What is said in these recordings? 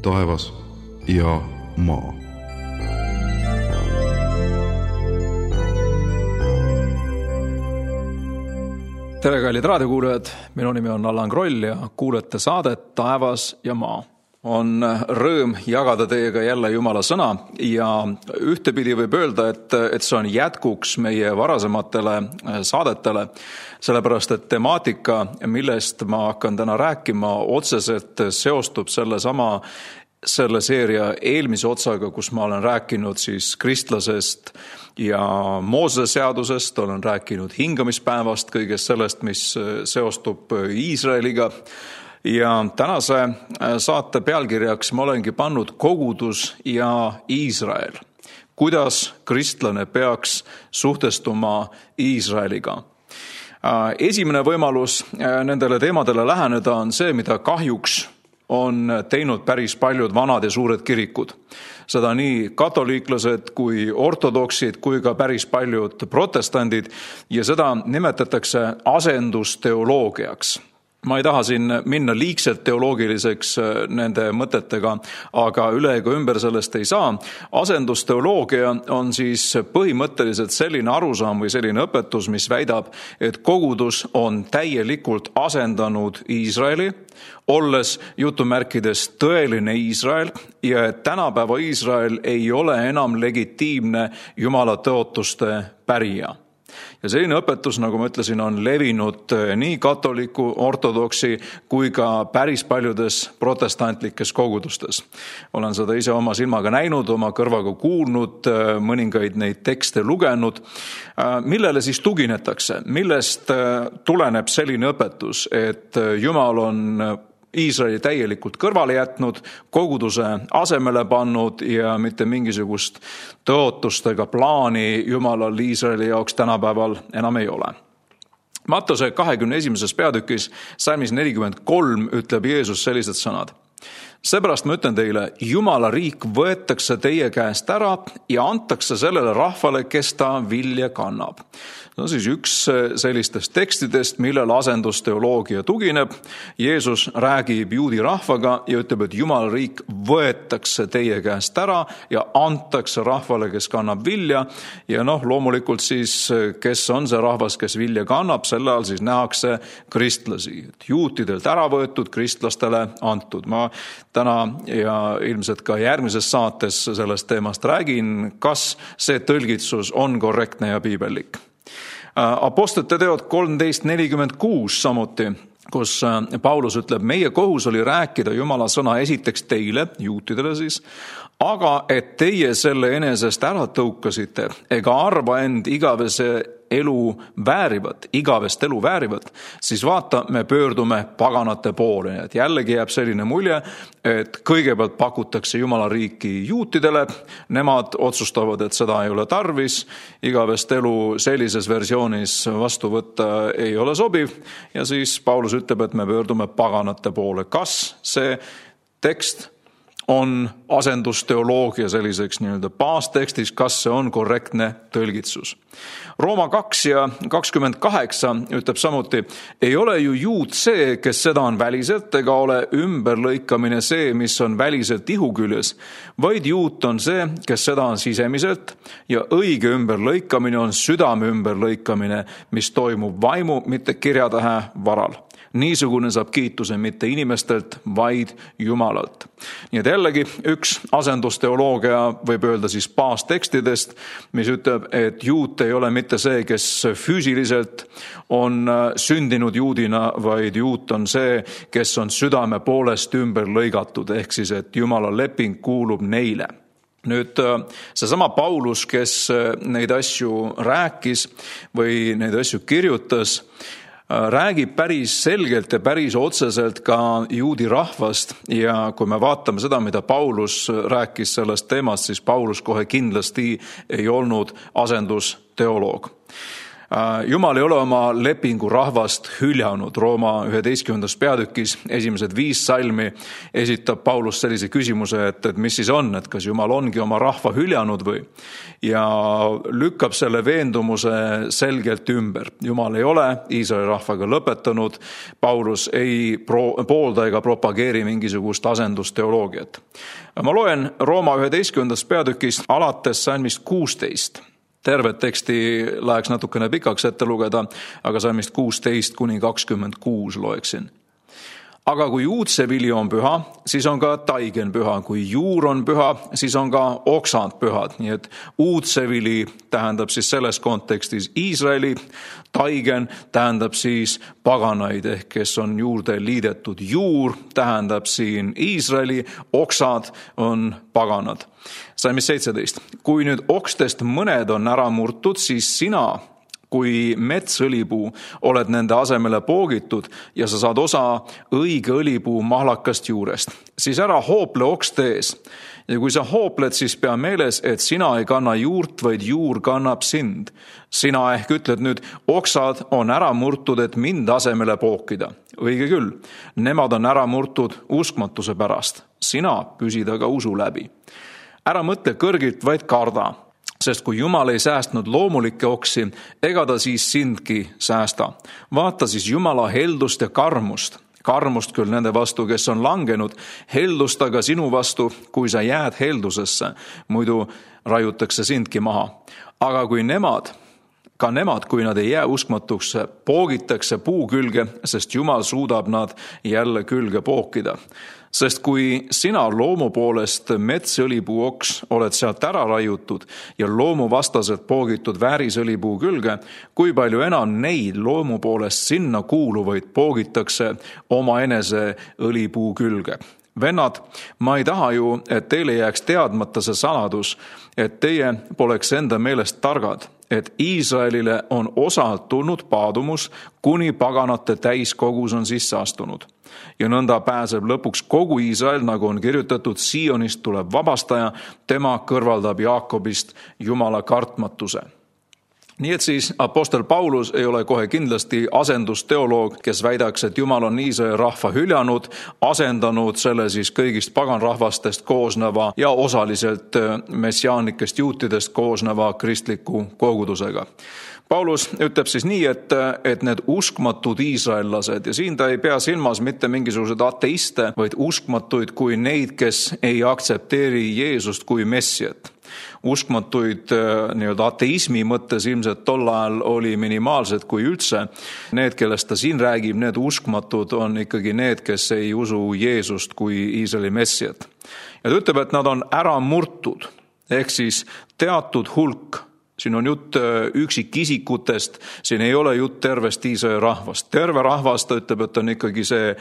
taevas ja maa. Tere, kallid raadiokuulajad! Minu nimi on Allan Kroll ja kuulete saadet Taevas ja maa. On rõõm jagada teiega jälle Jumala sõna ja ühtepidi võib öelda, et see on jätkuks meie varasematele saadetele, sellepärast et temaatika, millest ma hakkan täna rääkima, otseselt seostub selle seeria eelmise otsaga, kus ma olen rääkinud siis kristlasest ja Moosese seadusest, olen rääkinud hingamispäevast, kõigest sellest, mis seostub Iisraeliga. Ja tänase saate pealkirjaks ma olengi pannud kogudus ja Iisrael. Kuidas kristlane peaks suhtestuma Iisraeliga? Esimene võimalus nendele teemadele läheneda on see, mida kahjuks on teinud päris paljud vanad ja suured kirikud. Seda nii katoliiklased kui ortodoksid kui ka päris paljud protestandid ja seda nimetatakse asendusteoloogiaks. Ma ei taha siin minna liigselt teoloogiliseks nende mõtetega, aga üle ega ümber sellest ei saa. Asendusteoloogia on siis põhimõtteliselt selline arusaam või selline õpetus, mis väidab, et kogudus on täielikult asendanud Iisraeli, olles jutumärkides tõeline Iisrael ja et tänapäeva Iisrael ei ole enam legitiimne Jumala tõotuste pärija. Ja selline õpetus, nagu ma ütlesin, on levinud nii katoliku, ortodoksi kui ka päris paljudes protestantlikes kogudustes. Olen seda ise oma silmaga näinud, oma kõrvaga kuulnud, mõningaid neid tekste lugenud. Millele siis tuginetakse? Millest tuleneb selline õpetus, et Jumal on Iisraeli täielikult kõrvale jätnud, koguduse asemele pannud ja mitte mingisugust tõotustega plaani Jumalal Iisraeli jaoks tänapäeval enam ei ole. Mattuse 21. peatükis, salmis 43 ütleb Jeesus sellised sõnad. Seepärast ma ütlen teile, Jumala riik võetakse teie käest ära ja antakse sellele rahvale, kes ta vilja kannab. No siis üks sellistest tekstidest, millel asendusteoloogia tugineb. Jeesus räägib juudi rahvaga ja ütleb, et Jumala riik võetakse teie käest ära ja antakse rahvale, kes kannab vilja. Ja loomulikult siis, kes on see rahvas, kes vilja kannab, selle all siis nähakse kristlasi. Juutidelt ära võetud, kristlastele antud. Ma täna ja ilmselt ka järgmises saates sellest teemast räägin, kas see tõlgitsus on korrektne ja piibellik. Apostlite teod 13:46 samuti, kus Paulus ütleb, meie kohus oli rääkida Jumala sõna esiteks teile, juutidele siis, aga et teie selle enesest ära tõukasite ega arva end igavest elu väärivat, siis vaata, me pöördume paganate poole. Et jällegi jääb selline mulje, et kõigepealt pakutakse Jumala riiki juutidele, nemad otsustavad, et seda ei ole tarvis, igavest elu sellises versioonis vastu võtta ei ole sobiv ja siis Paulus ütleb, et me pöördume paganate poole. Kas see tekst on asendusteoloogia selliseks nii-öelda baastekstis, kas see on korrektne tõlgitsus? Rooma 2 ja 28 ütleb samuti, ei ole ju juut see, kes seda on väliselt, ega ole ümberlõikamine see, mis on väliselt ihu küljes, vaid juut on see, kes seda on sisemiselt ja õige ümberlõikamine on südame ümberlõikamine, mis toimub vaimu, mitte kirjatähe varal. Niisugune saab kiituse mitte inimestelt, vaid Jumalalt. Nii et jällegi üks asendusteoloogia võib öelda siis baastekstidest, mis ütleb, et juut ei ole mitte see, kes füüsiliselt on sündinud juudina, vaid juut on see, kes on südame poolest ümber lõigatud, ehk siis, et Jumala leping kuulub neile. Nüüd seesama Paulus, kes neid asju rääkis või neid asju kirjutas, räägib päris selgelt ja päris otseselt ka juudi rahvast ja kui me vaatame seda, mida Paulus rääkis sellest teemast, siis Paulus kohe kindlasti ei olnud asendusteoloog. Jumal ei ole oma lepingu rahvast hüljanud. Rooma 11. peatükis esimesed 5 salmi esitab Paulus sellise küsimuse, et mis siis on, et kas Jumal ongi oma rahva hüljanud või? Ja lükkab selle veendumuse selgelt ümber. Jumal ei ole Iisraeli rahvaga lõpetanud. Paulus ei poolda ega propageeri mingisugust asendusteoloogiat. Ma loen Rooma 11. peatükist alates salmist 16. Tervet teksti läheks natukene pikaks ette lugeda, aga salmist 16 kuni 26 loeksin. Aga kui juutsevili on püha, siis on ka taigen püha. Kui juur on püha, siis on ka oksad pühad. Nii et uudsevili tähendab siis selles kontekstis Iisraeli, taigen tähendab siis paganaid, ehk kes on juurde liidetud. Juur tähendab siin Iisraeli, oksad on paganad. Salmis 17. Kui nüüd okstest mõned on ära murtud, siis sina, kui metsõlipuu, oled nende asemele poogitud ja sa saad osa õige õlipuu mahlakast juurest. Siis ära hoople okste ees. Ja kui sa hoopled, siis pea meeles, et sina ei kanna juurt, vaid juur kannab sind. Sina ehk ütled nüüd, oksad on ära murtud, et mind asemele pookida. Õige küll, nemad on ära murtud uskmatuse pärast. Sina püsid aga usu läbi. Ära mõtle kõrgilt, vaid karda. Sest kui Jumal ei säästnud loomulikke oksi, ega ta siis sindki säästa. Vaata siis Jumala heldust ja karmust. Karmust küll nende vastu, kes on langenud, heldust aga sinu vastu, kui sa jääd heldusesse, muidu raiutakse sindki maha. Aga kui nemad, kui nad ei jää uskmatuks, poogitakse puu külge, sest Jumal suudab nad jälle külge pookida. Sest kui sina loomu poolest metsõlipuu oks oled sealt ära raiutud ja loomu vastaselt poogitud väärisõlipuu külge, kui palju enam neid loomu poolest sinna kuuluvaid poogitakse omaenese õlipuu külge. Vennad, ma ei taha ju, et teile jääks teadmata see saladus, et teie poleks enda meelest targad, et Iisraelile on osalt tulnud paadumus, kuni paganate täiskogus on sisse astunud. Ja nõnda pääseb lõpuks kogu Iisrael, nagu on kirjutatud, Sionist tuleb vabastaja, tema kõrvaldab Jaakobist Jumala kartmatuse. Nii et siis apostel Paulus ei ole kohe kindlasti asendusteoloog, kes väidaks, et Jumal on Iisraeli rahva hüljanud, asendanud selle siis kõigist paganrahvastest koosneva ja osaliselt messiaanikest juutidest koosneva kristliku kogudusega. Paulus ütleb siis nii, et need uskmatud iisraellased, ja siin ta ei pea silmas mitte mingisugused ateiste, vaid uskmatuid kui neid, kes ei aktsepteeri Jeesust kui messiat. Uskmatuid nii-öelda ateismi mõttes ilmselt tol ajal oli minimaalsed kui üldse. Need, kellest ta siin räägib, need uskmatud on ikkagi need, kes ei usu Jeesust kui Iisraeli messiat. Ja ta ütleb, et nad on ära murtud, ehk siis teatud hulk. Siin on jutt üksikisikutest, siin ei ole jutt tervest Iisraeli rahvast. Terve rahvast, ta ütleb, et on ikkagi see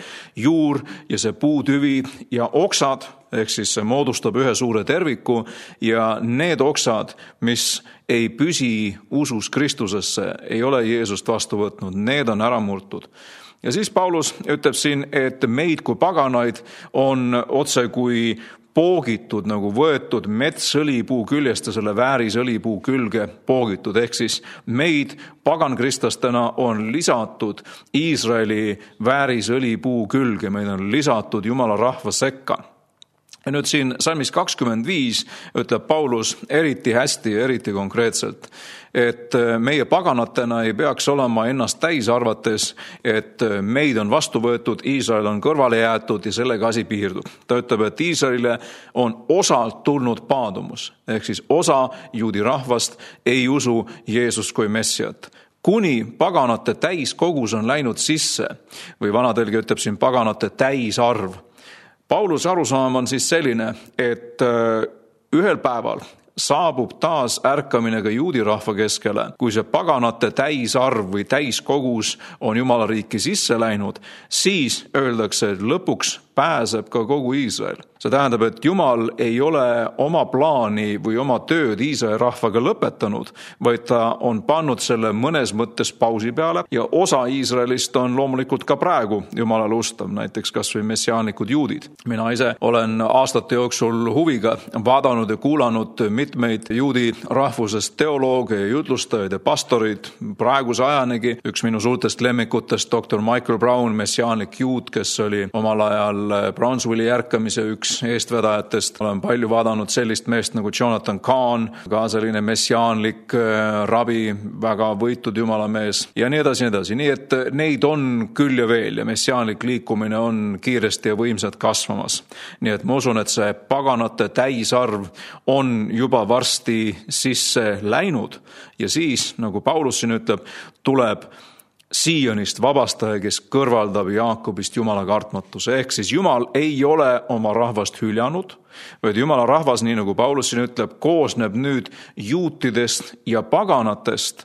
juur ja see puutüvi ja oksad, ehk siis see moodustab ühe suure terviku ja need oksad, mis ei püsi usus Kristusesse, ei ole Jeesust vastu võtnud, need on ära murtud. Ja siis Paulus ütleb siin, et meid kui paganaid on otse kui poogitud, nagu võetud metsõlipuu küljest ja selle väärisõlipuu külge poogitud. Ehk siis meid pagankristastena on lisatud Iisraeli väärisõlipuu külge, meid on lisatud Jumala rahva sekka. Ja nüüd siin salmis 25 ütleb Paulus eriti hästi ja eriti konkreetselt, et meie paganatena ei peaks olema ennast täis arvates, et meid on vastu võetud, Iisrael on kõrvale jäetud ja sellega asi piirdub. Ta ütleb, et Iisraelile on osalt tulnud paadumus, ehk siis osa juudi rahvast ei usu Jeesust kui messiat. Kuni paganate täiskogus on läinud sisse, või vanatelgi ütleb siin paganate täisarv. Pauluse arusaam on siis selline, et ühel päeval saabub taas ärkamine ka juudi rahva keskele, kui see paganate täisarv või täiskogus on Jumala riiki sisse läinud, siis öeldakse, et lõpuks pääseb ka kogu Iisrael. See tähendab, et Jumal ei ole oma plaani või oma tööd Iisraeli rahvaga lõpetanud, vaid ta on pannud selle mõnes mõttes pausi peale ja osa Iisraelist on loomulikult ka praegu Jumalale ustav, näiteks kas või messiaanlikud juudid. Mina ise olen aastate jooksul huviga vaadanud ja kuulanud mitmeid juudi rahvusest teolooge ja jutlustajaid ja pastorid. Praeguse ajanegi üks minu suurtest lemmikutest, Dr. Michael Brown, messiaanlik juud, kes oli omal ajal Brownsvilli ärkamise üks eestvedajatest. Olen palju vaadanud sellist meest nagu Jonathan Cahn, ka selline messiaanlik rabi, väga võitud jumala mees ja nii edasi, nii edasi. Nii et neid on küll ja veel ja messiaanlik liikumine on kiiresti ja võimsalt kasvamas. Nii et ma usun, et see paganate täisarv on juba varsti sisse läinud ja siis, nagu Paulus siin ütleb, tuleb Siionist vabastaja, kes kõrvaldab Jaakobist Jumala kartmatuse. Ehk siis Jumal ei ole oma rahvast hüljanud, vaid Jumala rahvas, nii nagu Paulus siin ütleb, koosneb nüüd juutidest ja paganatest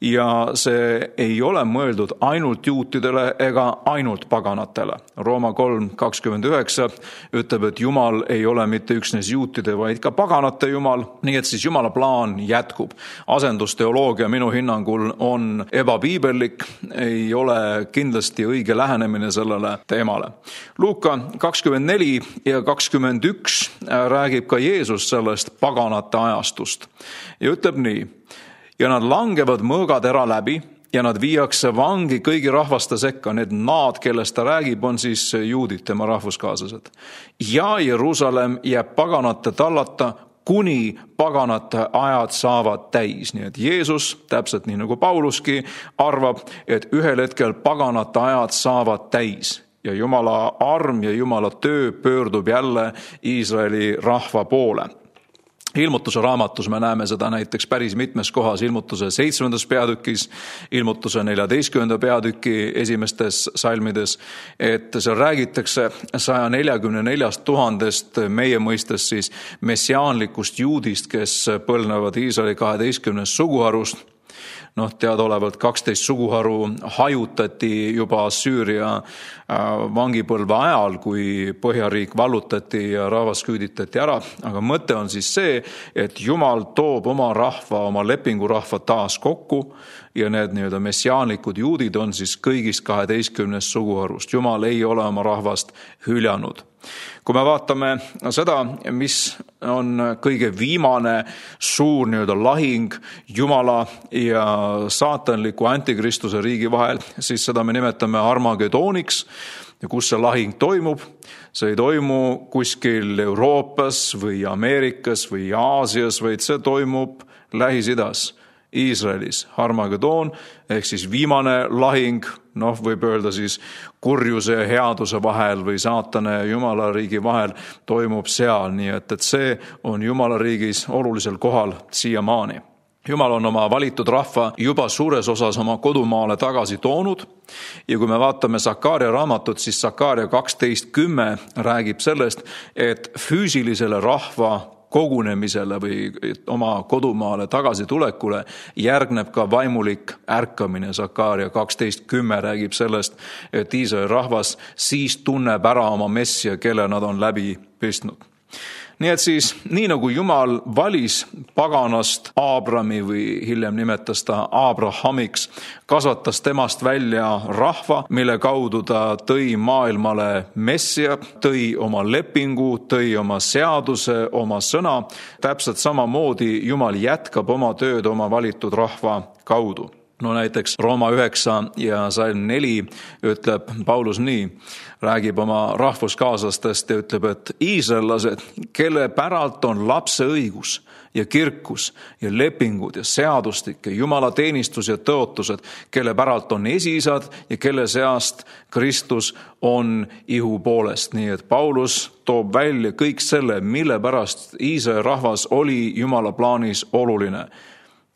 ja see ei ole mõeldud ainult juutidele ega ainult paganatele. Rooma 3:29 ütleb, et Jumal ei ole mitte üksnes juutide, vaid ka paganate Jumal. Nii et siis Jumala plaan jätkub. Asendusteoloogia minu hinnangul on ebapiibellik, ei ole kindlasti õige lähenemine sellele teemale. Luuka 24 ja 21 räägib ka Jeesus sellest paganate ajastust ja ütleb nii: ja nad langevad mõõgatera läbi ja nad viiakse vangi kõigi rahvaste sekka. Need naad, kellest ta räägib, on siis juudid, tema rahvuskaaslased. Ja Jeruusalemm jääb paganate tallata, kuni paganate ajad saavad täis. Nii et Jeesus, täpselt nii nagu Pauluski, arvab, et ühel hetkel paganate ajad saavad täis. Ja Jumala arm ja Jumala töö pöördub jälle Iisraeli rahva poole. Ilmutuse raamatus me näeme seda näiteks päris mitmes kohas, Ilmutuse 7. peatükis, Ilmutuse 14. peatüki esimestes salmides, et seal räägitakse 144 000 meie mõistes siis messiaanlikust juudist, kes põlvnevad Iisraeli 12 suguharust. Teadaolevalt 12 suguharu hajutati juba Süüria vangipõlve ajal, kui Põhjariik vallutati ja rahvas küüditati ära. Aga mõte on siis see, et Jumal toob oma rahva, oma lepingurahva taas kokku ja need nii-öelda messiaanlikud juudid on siis kõigist 12 suguharust. Jumal ei ole oma rahvast hüljanud. Kui me vaatame seda, mis on kõige viimane suur nii-öelda lahing Jumala ja saatanliku antikristuse riigi vahel, siis seda me nimetame Armageddoniks. Ja kus see lahing toimub? See ei toimu kuskil Euroopas või Ameerikas või Aasias, vaid see toimub Lähis-Idas, Iisraelis. Armageddon ehk siis viimane lahing, võib öelda siis kurjuse ja headuse vahel või saatane ja Jumala riigi vahel toimub seal. Nii et see on Jumala riigis olulisel kohal siiamaani. Jumal on oma valitud rahva juba suures osas oma kodumaale tagasi toonud ja kui me vaatame Sakaaria raamatut, siis Sakaaria 12:10 räägib sellest, et füüsilisele rahva kogunemisele või oma kodumaale tagasi tulekule järgneb ka vaimulik ärkamine. Sakaaria 12:10 räägib sellest, et Iisraeli rahvas siis tunneb ära oma messia, kelle nad on läbi pistnud. Nii et siis, nii nagu Jumal valis paganast Aabrami või hiljem nimetas ta Abrahamiks, kasvatas temast välja rahva, mille kaudu ta tõi maailmale messia, tõi oma lepingu, tõi oma seaduse, oma sõna. Täpselt samamoodi Jumal jätkab oma tööd oma valitud rahva kaudu. Näiteks Rooma 9 ja salm 4 ütleb Paulus nii, räägib oma rahvuskaaslastest ja ütleb, et iisraellased, kelle päralt on lapse õigus ja kirkus ja lepingud ja seadustik ja Jumala teenistus ja tõotused, kelle päralt on esiisad ja kelle seast Kristus on ihu poolest. Nii et Paulus toob välja kõik selle, mille pärast Iisraeli rahvas oli Jumala plaanis oluline.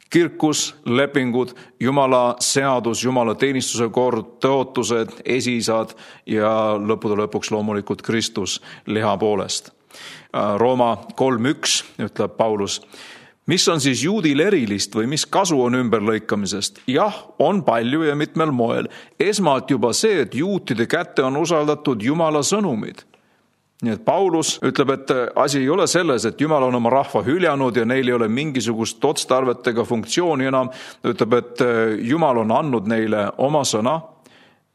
Kirkus, lepingud, Jumala seadus, Jumala teenistuse kord, tõotused, esiisad ja lõppude lõpuks loomulikult Kristus liha poolest. Rooma 3:1 ütleb Paulus, mis on siis juudil erilist või mis kasu on ümberlõikamisest? Jah, on palju ja mitmel moel. Esmalt juba see, et juutide kätte on usaldatud Jumala sõnumid. Nii et Paulus ütleb, et asi ei ole selles, et Jumal on oma rahva hüljanud ja neil ei ole mingisugust otstarvet ega funktsiooni enam. Ta ütleb, et Jumal on andnud neile oma sõna.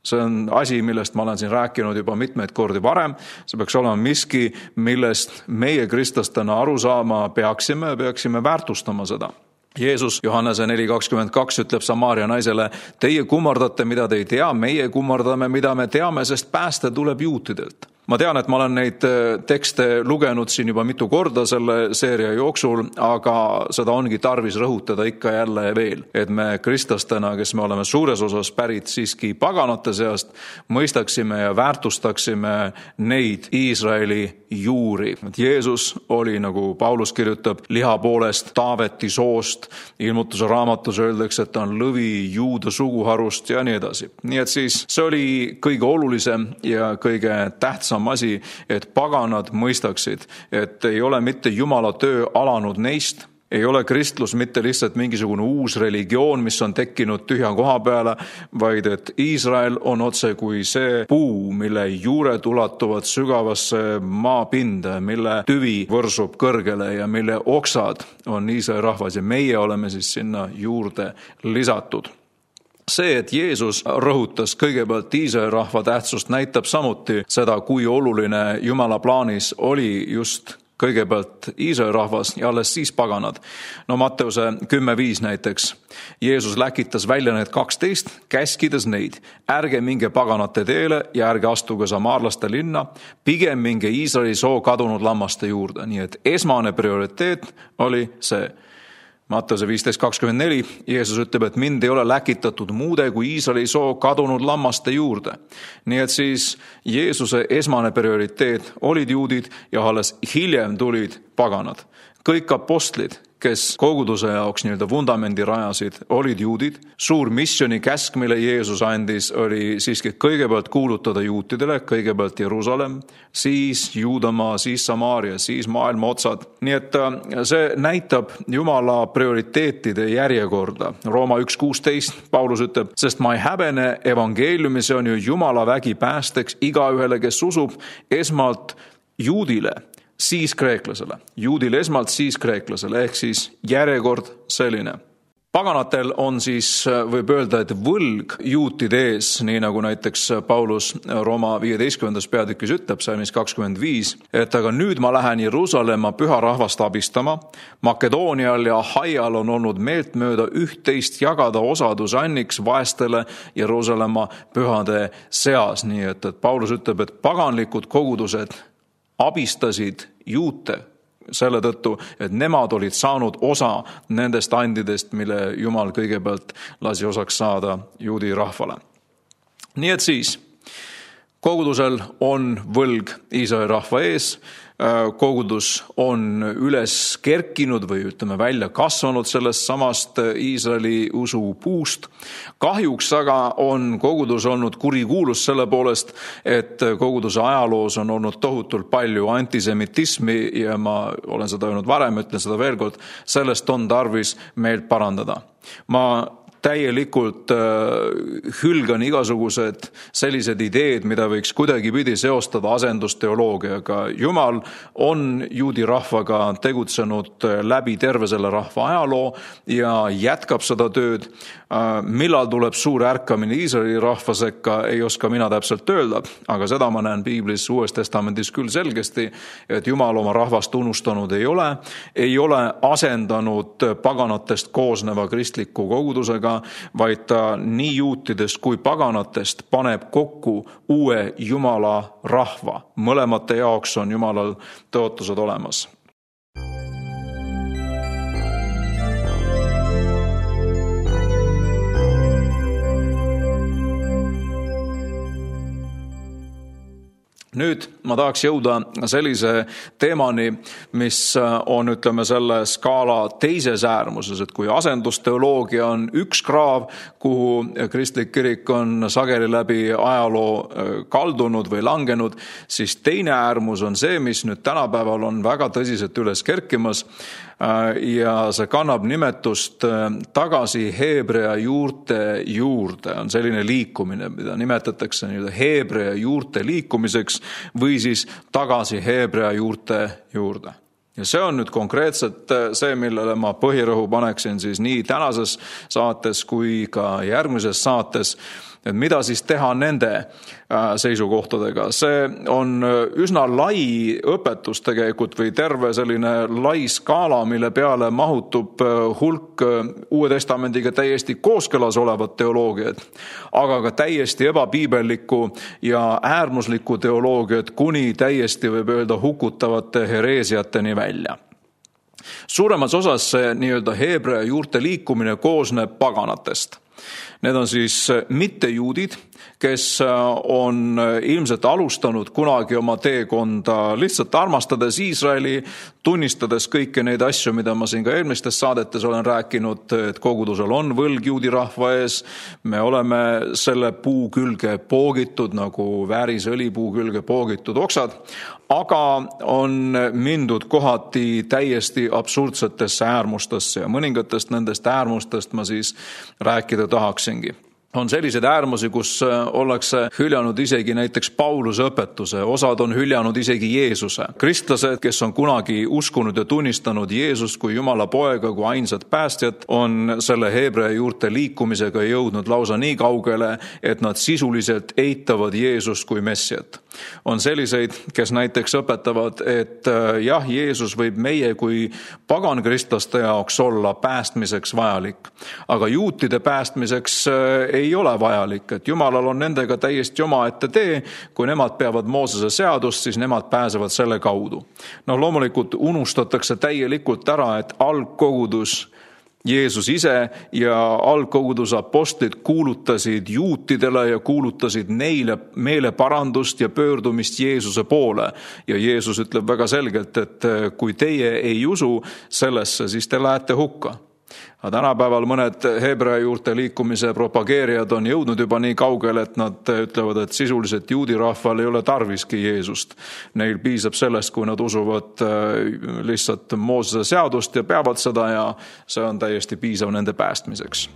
See on asi, millest ma olen siin rääkinud juba mitmeid kordi varem. See peaks olema miski, millest meie kristlastena aru saama peaksime väärtustama seda. Jeesus Johannese 4:22 ütleb Samaaria naisele, teie kummardate, mida te ei tea, meie kummardame, mida me teame, sest pääste tuleb juutidelt. Ma tean, et ma olen neid tekste lugenud siin juba mitu korda selle seeria jooksul, aga seda ongi tarvis rõhutada ikka jälle veel, et me kristlastena, kes me oleme suures osas pärit siiski paganate seast, mõistaksime ja väärtustaksime neid Iisraeli juuri. Jeesus oli, nagu Paulus kirjutab, liha poolest Taaveti soost, Ilmutuse raamatus öeldakse, et ta on lõvi juuda suguharust ja nii edasi. Nii et siis see oli kõige olulisem ja kõige tähtsam asi, et paganad mõistaksid, et ei ole mitte Jumala töö alanud neist, ei ole kristlus mitte lihtsalt mingisugune uus religioon, mis on tekkinud tühja koha peale, vaid et Iisrael on otse kui see puu, mille juured ulatuvad sügavasse maapinda, mille tüvi võrsub kõrgele ja mille oksad on Iisraeli rahvas ja meie oleme siis sinna juurde lisatud. See, et Jeesus rõhutas kõigepealt Iisraeli rahva tähtsust, näitab samuti seda, kui oluline Jumala plaanis oli just kõigepealt Iisraeli rahvas ja alles siis paganad. No Matteuse 10:5 näiteks. Jeesus läkitas välja need 12, käskides neid. Ärge minge paganate teele ja ärge astuge samaarlaste linna, pigem minge Iisraeli soo kadunud lammaste juurde. Nii et esmane prioriteet oli see. Matteuse 15:24 Jeesus ütleb, et mind ei ole läkitatud muude kui Iisraeli soo kadunud lammaste juurde. Nii et siis Jeesuse esmane prioriteet olid juudid ja alles hiljem tulid paganad. Kõik apostlid, kes koguduse jaoks nii-öelda vundamendi rajasid, olid juudid. Suur missioni käsk, mille Jeesus andis, oli siiski kõigepealt kuulutada juutidele, kõigepealt Jerusalem, siis Juudamaa, siis Samaaria, siis maailma otsad. Nii et see näitab Jumala prioriteetide järjekorda. Rooma 1:16 Paulus ütleb, sest ma ei häbene evangeeliumi, see on ju Jumala vägi päästeks igaühele, kes usub, esmalt juudile, siis kreeklasele. Juudil esmalt, siis kreeklasele, ehk siis järjekord selline. Paganatel on siis, võib öelda, et võlg juutide ees, nii nagu näiteks Paulus Rooma 15. peatükis ütleb, salmis 25, et aga nüüd ma lähen Jeruusalemma püha rahvast abistama. Makedoonial ja Ahaial on olnud meeltmööda üht-teist jagada osadus anniks vaestele Jeruusalemma pühade seas. Nii et Paulus ütleb, et paganlikud kogudused abistasid juute selle tõttu, et nemad olid saanud osa nendest andidest, mille Jumal kõigepealt lasi osaks saada juudi rahvale. Nii et siis kogudusel on võlg Iisraeli rahva ees, kogudus on üles kerkinud või ütleme välja kasvanud sellest samast Iisraeli usu puust. Kahjuks aga on kogudus olnud kurikuulus selle poolest, et koguduse ajaloos on olnud tohutult palju antisemitismi ja ma olen seda öelnud varem, ütlen seda veel kord, sellest on tarvis meelt parandada. Ma täielikult hülgan igasugused sellised ideed, mida võiks kuidagipidi seostada asendusteoloogiaga. Jumal on juudi rahvaga tegutsenud läbi terve selle rahva ajaloo ja jätkab seda tööd. Millal tuleb suur ärkamine Iisraeli rahva sekka, ei oska mina täpselt öelda, aga seda ma näen Piiblis Uues Testamendis küll selgesti, et Jumal oma rahvast unustanud ei ole asendanud paganatest koosneva kristliku kogudusega, vaid ta nii juutidest kui paganatest paneb kokku uue Jumala rahva. Mõlemate jaoks on Jumalal tõotused olemas. Nüüd ma tahaks jõuda sellise teemani, mis on, ütleme, selle skaala teises äärmuses, et kui asendusteoloogia on üks kraav, kuhu kristlik kirik on sageli läbi ajaloo kaldunud või langenud, siis teine äärmus on see, mis nüüd tänapäeval on väga tõsiselt üles kerkimas. ja see kannab nimetust tagasi heebrea juurte juurde. On selline liikumine, mida nimetatakse heebrea juurte liikumiseks või siis tagasi heebrea juurte juurde. Ja see on nüüd konkreetselt see, millele ma põhirõhu paneksin siis nii tänases saates kui ka järgmises saates, et mida siis teha nende seisukohtadega. See on üsna lai õpetus tegelikult või terve selline lai skaala, mille peale mahutub hulk Uue Testamendiga täiesti kooskõlas olevat teoloogiat, aga ka täiesti ebapiibellikku ja äärmuslikku teoloogiat kuni täiesti võib öelda hukutavate hereesiateni välja. Suuremas osas see nii-öelda heebrea juurte liikumine koosneb paganatest. Need on siis mittejuudid, kes on ilmselt alustanud kunagi oma teekonda lihtsalt armastades Iisraeli, tunnistades kõiki neid asju, mida ma siin ka eelmistes saadetes olen rääkinud, et kogudusel on võlg juudi rahva ees. Me oleme selle puu külge poogitud, nagu väärisõlipuu külge poogitud oksad, aga on mindud kohati täiesti absurdsetesse äärmustesse ja mõningatest nendest äärmustest ma siis rääkida tahaksingi. On selliseid äärmusi, kus ollakse hüljanud isegi näiteks Pauluse õpetuse, osad on hüljanud isegi Jeesuse. Kristlased, kes on kunagi uskunud ja tunnistanud Jeesust kui Jumala poega, kui ainsat päästjat, on selle heebrea juurte liikumisega jõudnud lausa nii kaugele, et nad sisuliselt eitavad Jeesust kui messiat. On selliseid, kes näiteks õpetavad, et jah, Jeesus võib meie kui pagankristlaste jaoks olla päästmiseks vajalik, aga juutide päästmiseks ei ole vajalik, et Jumalal on nendega täiesti omaette tee, kui nemad peavad Moosese seadust, siis nemad pääsevad selle kaudu. Loomulikult unustatakse täielikult ära, et algkogudus Jeesus ise ja algkoguduse apostlid kuulutasid juutidele ja kuulutasid neile meeleparandust ja pöördumist Jeesuse poole. Ja Jeesus ütleb väga selgelt, et kui teie ei usu sellesse, siis te lähete hukka. Aga tänapäeval mõned heebrea juurte liikumise propageerijad on jõudnud juba nii kaugele, et nad ütlevad, et sisuliselt juudi rahval ei ole tarviski Jeesust. Neil piisab sellest, kui nad usuvad lihtsalt Moosese seadust ja peavad seda ja see on täiesti piisav nende päästmiseks.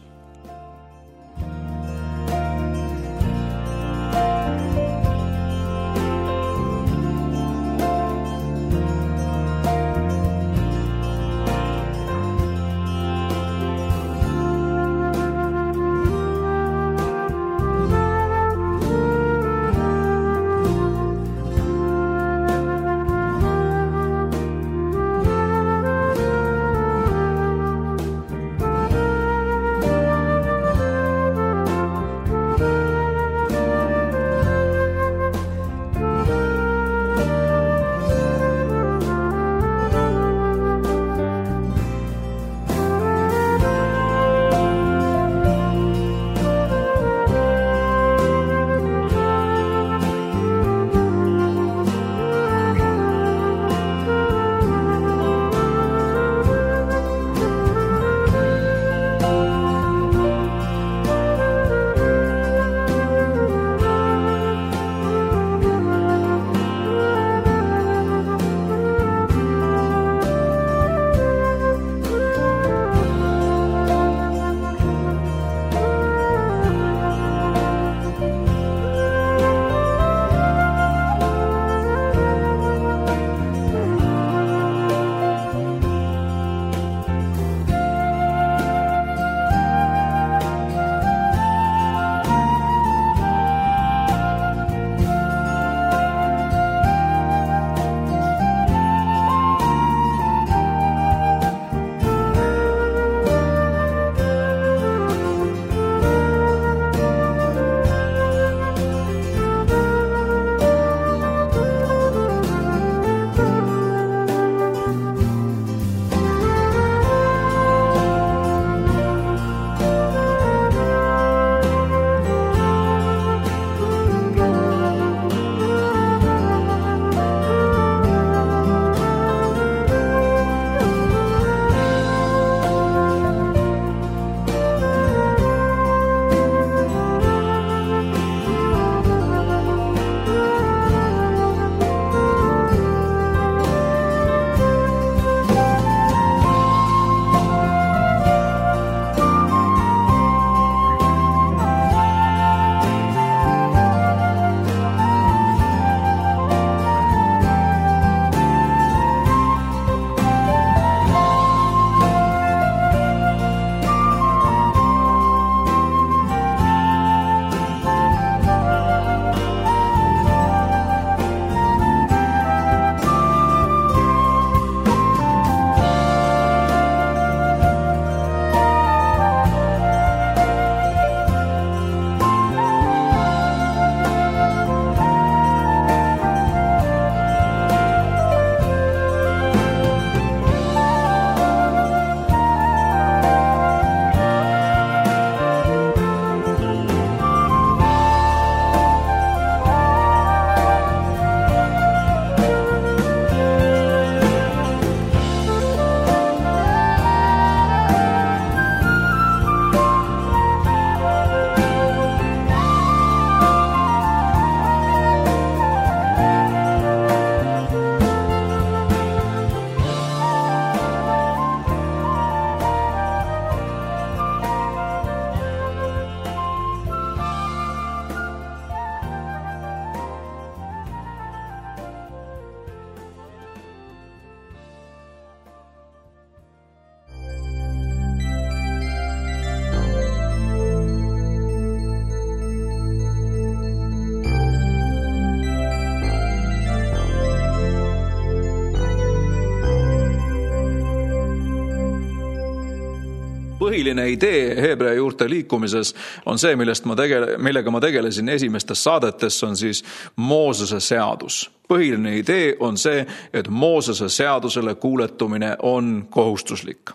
põhiline idee Heebrea juurte liikumises on see, millega ma tegelesin esimestes saadetes, on siis Moosese seadus. Põhiline idee on see, et Moosese seadusele kuuletumine on kohustuslik.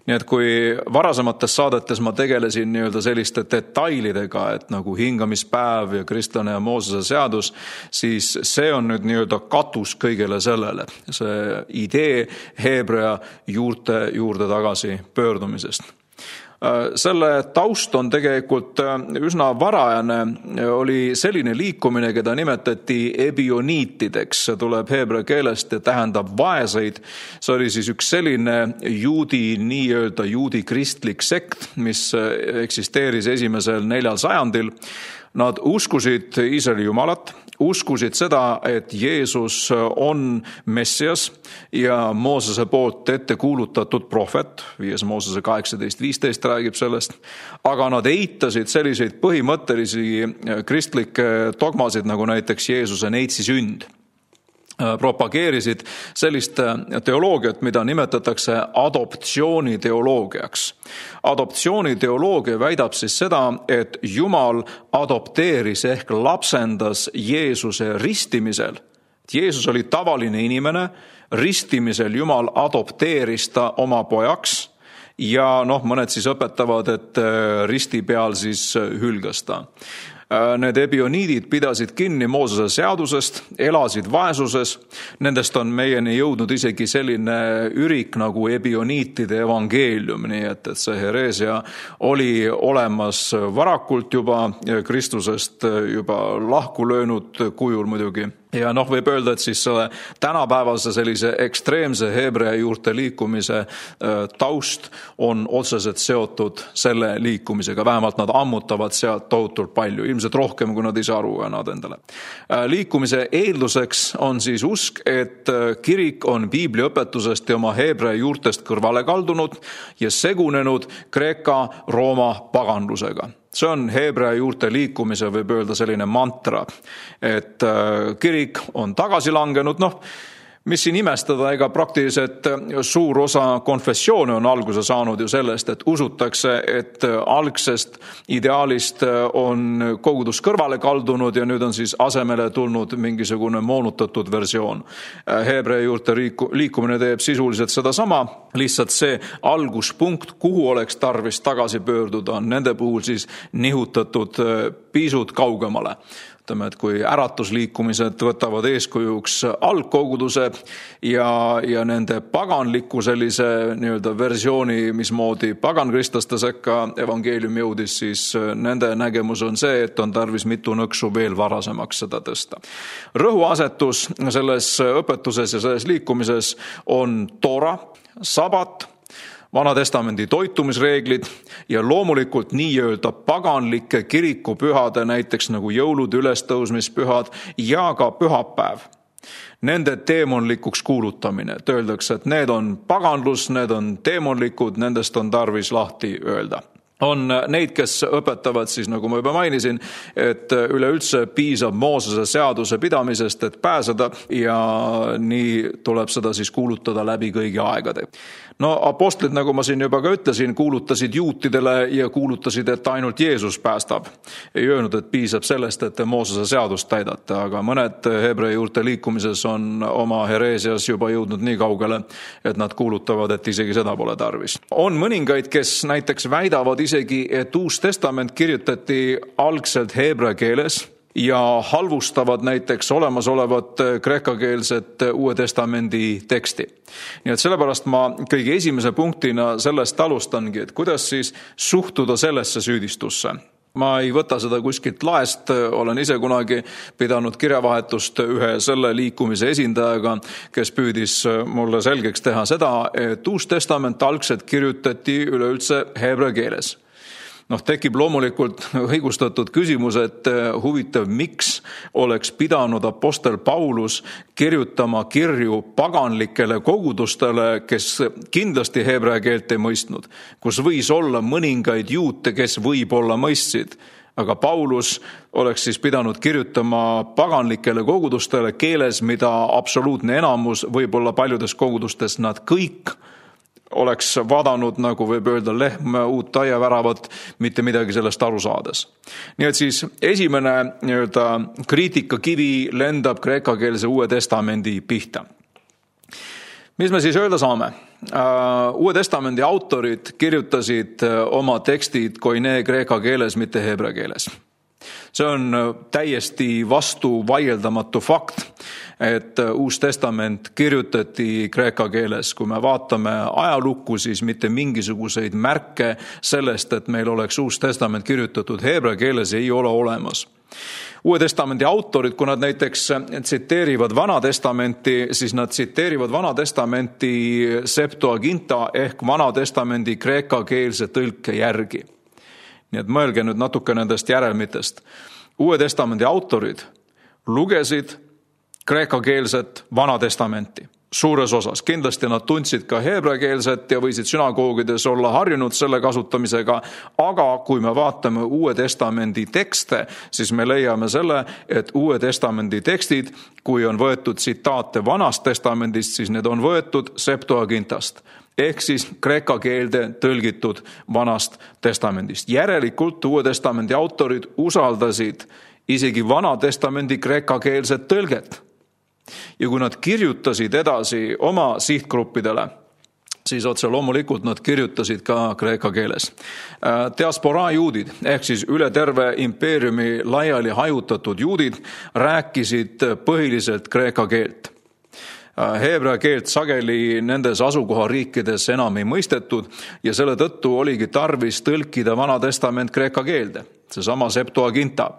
Nii et kui varasemates saadetes ma tegelesin nii-öelda selliste detailidega, et nagu hingamispäev ja kristlane ja Moosese seadus, siis see on nüüd nii-öelda katus kõigele sellele. See idee Heebrea juurte juurde tagasi pöördumisest. Selle taust on tegelikult üsna varajane, oli selline liikumine, keda nimetati ebioniitideks, see tuleb heebrea keelest ja tähendab vaeseid. See oli siis üks selline nii-öelda juudi kristlik sekt, mis eksisteeris esimesel 4. sajandil. Nad uskusid Iisraeli jumalat, uskusid seda, et Jeesus on Messias ja Moosese poolt ette kuulutatud prohvet, 5. Moosese 18:15 räägib sellest, aga nad eitasid selliseid põhimõttelisi kristlikke dogmasid, nagu näiteks Jeesuse neitsi sünd. Propageerisid sellist teoloogiat, mida nimetatakse adoptsiooniteoloogiaks. Adoptsiooniteoloogia väidab siis seda, et Jumal adopteeris ehk lapsendas Jeesuse ristimisel. Jeesus oli tavaline inimene, ristimisel Jumal adopteeris ta oma pojaks ja mõned siis õpetavad, et risti peal siis hülgas ta. Need ebioniidid pidasid kinni Moosese seadusest, elasid vaesuses. Nendest on meieni jõudnud isegi selline ürik nagu ebioniitide evangeelium, nii et see hereesia oli olemas varakult juba, Kristusest juba lahku löönud kujul muidugi. Ja võib öelda, et siis selle tänapäevase sellise ekstreemse heebrea juurte liikumise taust on otseselt seotud selle liikumisega. Vähemalt nad ammutavad sealt tohutult palju, ilmselt rohkem, kui nad ise aru annavad endale. Liikumise eelduseks on siis usk, et kirik on piibliõpetusest ja oma heebrea juurtest kõrvale kaldunud ja segunenud Kreeka-Rooma paganlusega. See on heebrea juurte liikumise, võib öelda selline mantra, et kirik on tagasi langenud, mis siin imestada, ega praktiliselt suur osa konfessioone on alguse saanud ju sellest, et usutakse, et algsest ideaalist on kogudus kõrvale kaldunud ja nüüd on siis asemele tulnud mingisugune moonutatud versioon. Heebrea juurte liikumine teeb sisuliselt sedasama, lihtsalt see alguspunkt, kuhu oleks tarvis tagasi pöörduda, on nende puhul siis nihutatud pisut kaugemale. Ütleme, et kui äratusliikumised võtavad eeskujuks algkoguduse ja nende paganliku sellise nii-öelda versiooni, mismoodi pagankristlaste sekka evangeelium jõudis, siis nende nägemus on see, et on tarvis mitu nõksu veel varasemaks seda tõsta. Rõhuasetus selles õpetuses ja selles liikumises on Toora, sabat, Vanatestamendi toitumisreeglid ja loomulikult nii-öelda paganlike kirikupühade, näiteks nagu jõulud, ülestõusmispühad ja ka pühapäev. Nende teemonlikuks kuulutamine. Öeldakse, et need on paganlus, need on teemonlikud, nendest on tarvis lahti öelda. On neid, kes õpetavad siis, nagu ma juba mainisin, et üleüldse piisab Moosese seaduse pidamisest, et pääseda ja nii tuleb seda siis kuulutada läbi kõigi aegade. Apostlid, nagu ma siin juba ka ütlesin, kuulutasid juutidele ja kuulutasid, et ainult Jeesus päästab. Ei öelnud, et piisab sellest, et te Moosese seadust täidate, aga mõned heebrea juurte liikumises on oma hereesias juba jõudnud nii kaugele, et nad kuulutavad, et isegi seda pole tarvis. On mõningaid, kes näiteks väidavad isegi, et Uus Testament kirjutati algselt heebrea keeles ja halvustavad näiteks olemasolevat kreekakeelset Uue Testamendi teksti. Nii et sellepärast ma kõige esimese punktina sellest alustangi, et kuidas siis suhtuda sellesse süüdistusse. Ma ei võta seda kuskilt laest, olen ise kunagi pidanud kirjavahetust ühe selle liikumise esindajaga, kes püüdis mulle selgeks teha seda, et Uus Testament algselt kirjutati üleüldse heebrea keeles. Tekib loomulikult õigustatud küsimus, et huvitav, miks oleks pidanud apostel Paulus kirjutama kirju paganlikele kogudustele, kes kindlasti heebrea keelt ei mõistnud, kus võis olla mõningaid juute, kes võib-olla mõistsid. Aga Paulus oleks siis pidanud kirjutama paganlikele kogudustele keeles, mida absoluutne enamus, võib-olla paljudes kogudustes nad kõik oleks vaadanud, nagu võib öelda, lehm uut taiaväravat, mitte midagi sellest aru saades. Nii et siis esimene kriitikakivi lendab kreekakeelse Uue Testamendi pihta. Mis me siis öelda saame? Uue Testamendi autorid kirjutasid oma tekstid koine kreeka keeles, mitte heebrea keeles. See on täiesti vastu vaieldamatu fakt, et Uus Testament kirjutati kreeka keeles. Kui me vaatame ajalukku, siis mitte mingisuguseid märke sellest, et meil oleks Uus Testament kirjutatud heebrea keeles, ei ole olemas. Uue Testamendi autorid, kui nad näiteks tsiteerivad Vana Testamenti, siis nad tsiteerivad Vana Testamenti Septuaginta ehk Vana Testamendi kreekakeelse tõlke järgi. Nii et mõelge nüüd natuke nendest järelmitest. Uue Testamendi autorid lugesid kreekakeelset Vana Testamenti suures osas. Kindlasti nad tundsid ka heebreakeelset ja võisid sünagoogides olla harjunud selle kasutamisega, aga kui me vaatame Uue Testamendi tekste, siis me leiame selle, et Uue Testamendi tekstid, kui on võetud tsitaate Vanast Testamendist, siis need on võetud Septuagintast ehk siis kreeka keelde tõlgitud Vanast Testamendist. Järelikult Uue Testamendi autorid usaldasid isegi Vana Testamendi kreekakeelset tõlget. Ja kui nad kirjutasid edasi oma sihtgruppidele, siis otse loomulikult nad kirjutasid ka kreeka keeles. Diasporaa juudid ehk siis üle terve impeeriumi laiali hajutatud juudid rääkisid põhiliselt kreeka keelt. Heebrea keelt sageli nendes asukohariikides enam ei mõistetud ja selle tõttu oligi tarvis tõlkida Vana Testament kreeka keelde. Seesama Septuaginta.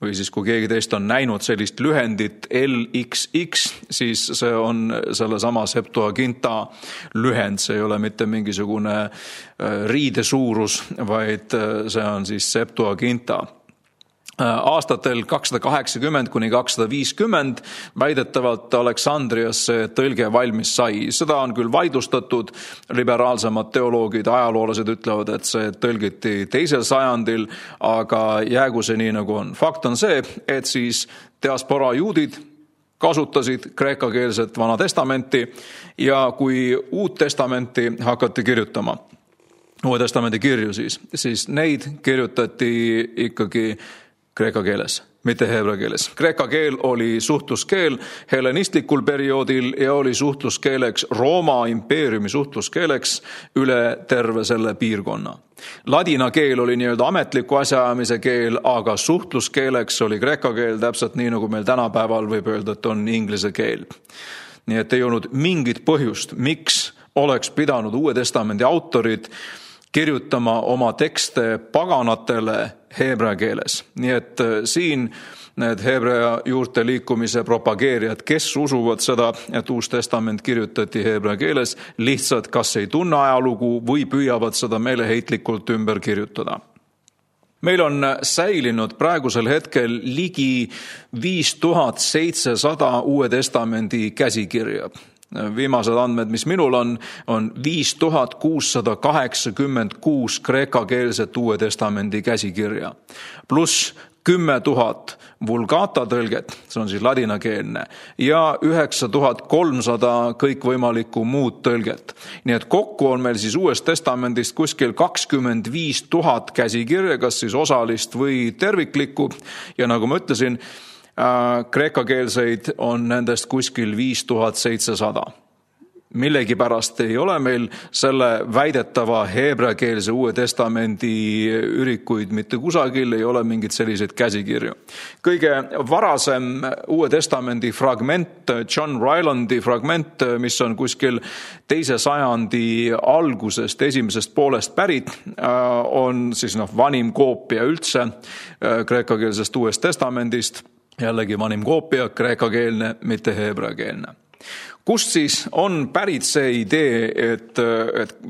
Või siis kui keegi teist on näinud sellist lühendit LXX, siis see on sellesama Septuaginta lühend. See ei ole mitte mingisugune riide suurus, vaid see on siis Septuaginta. Aastatel 280 kuni 250 väidetavalt Aleksandrias see tõlge valmis sai. Seda on küll vaidlustatud, liberaalsemad teoloogid, ajaloolased ütlevad, et see tõlgiti 2. sajandil, aga jäägu see nii nagu on. Fakt on see, et siis diasporaa juudid kasutasid kreekakeelset Vana Testamenti ja kui Uut Testamenti hakati kirjutama, Uue Testamendi kirju siis neid kirjutati ikkagi kreeka keeles, mitte heebrea keeles. Kreeka keel oli suhtluskeel hellenistlikul perioodil ja oli suhtluskeeleks Rooma impeeriumi suhtluskeeleks üle terve selle piirkonna. Ladina keel oli nii-öelda ametliku asjaajamise keel, aga suhtluskeeleks oli kreeka keel täpselt nii, nagu meil tänapäeval võib öelda, et on inglise keel. Nii et ei olnud mingit põhjust, miks oleks pidanud Uue Testamendi autorid kirjutama oma tekste paganatele heebrea keeles. Nii et siin need heebrea juurte liikumise propageerijad, kes usuvad seda, et Uus Testament kirjutati heebrea keeles, lihtsalt kas ei tunne ajalugu või püüavad seda meeleheitlikult ümber kirjutada. Meil on säilinud praegusel hetkel ligi 5700 Uue Testamendi käsikirja. Viimased andmed, mis minul on 5686 kreekakeelset Uue Testamendi käsikirja, pluss 10 000 vulgata tõlget, see on siis ladinakeelne, ja 9300 kõikvõimalikku muud tõlget. Nii et kokku on meil siis Uuest Testamendist kuskil 25 000 käsikirja, kas siis osalist või terviklikku, ja nagu ma ütlesin, kreekakeelseid on nendest kuskil 5700. Millegipärast ei ole meil selle väidetava heebreakeelse Uue Testamendi ürikuid mitte kusagil, ei ole mingit selliseid käsikirju. Kõige varasem Uue Testamendi fragment, John Rylandi fragment, mis on kuskil 2. sajandi algusest, esimesest poolest pärit, on siis vanim koopia üldse kreekakeelsest Uuest Testamendist. Jällegi vanim koopia, kreekakeelne, mitte heebreakeelne. Kust siis on pärit see idee, et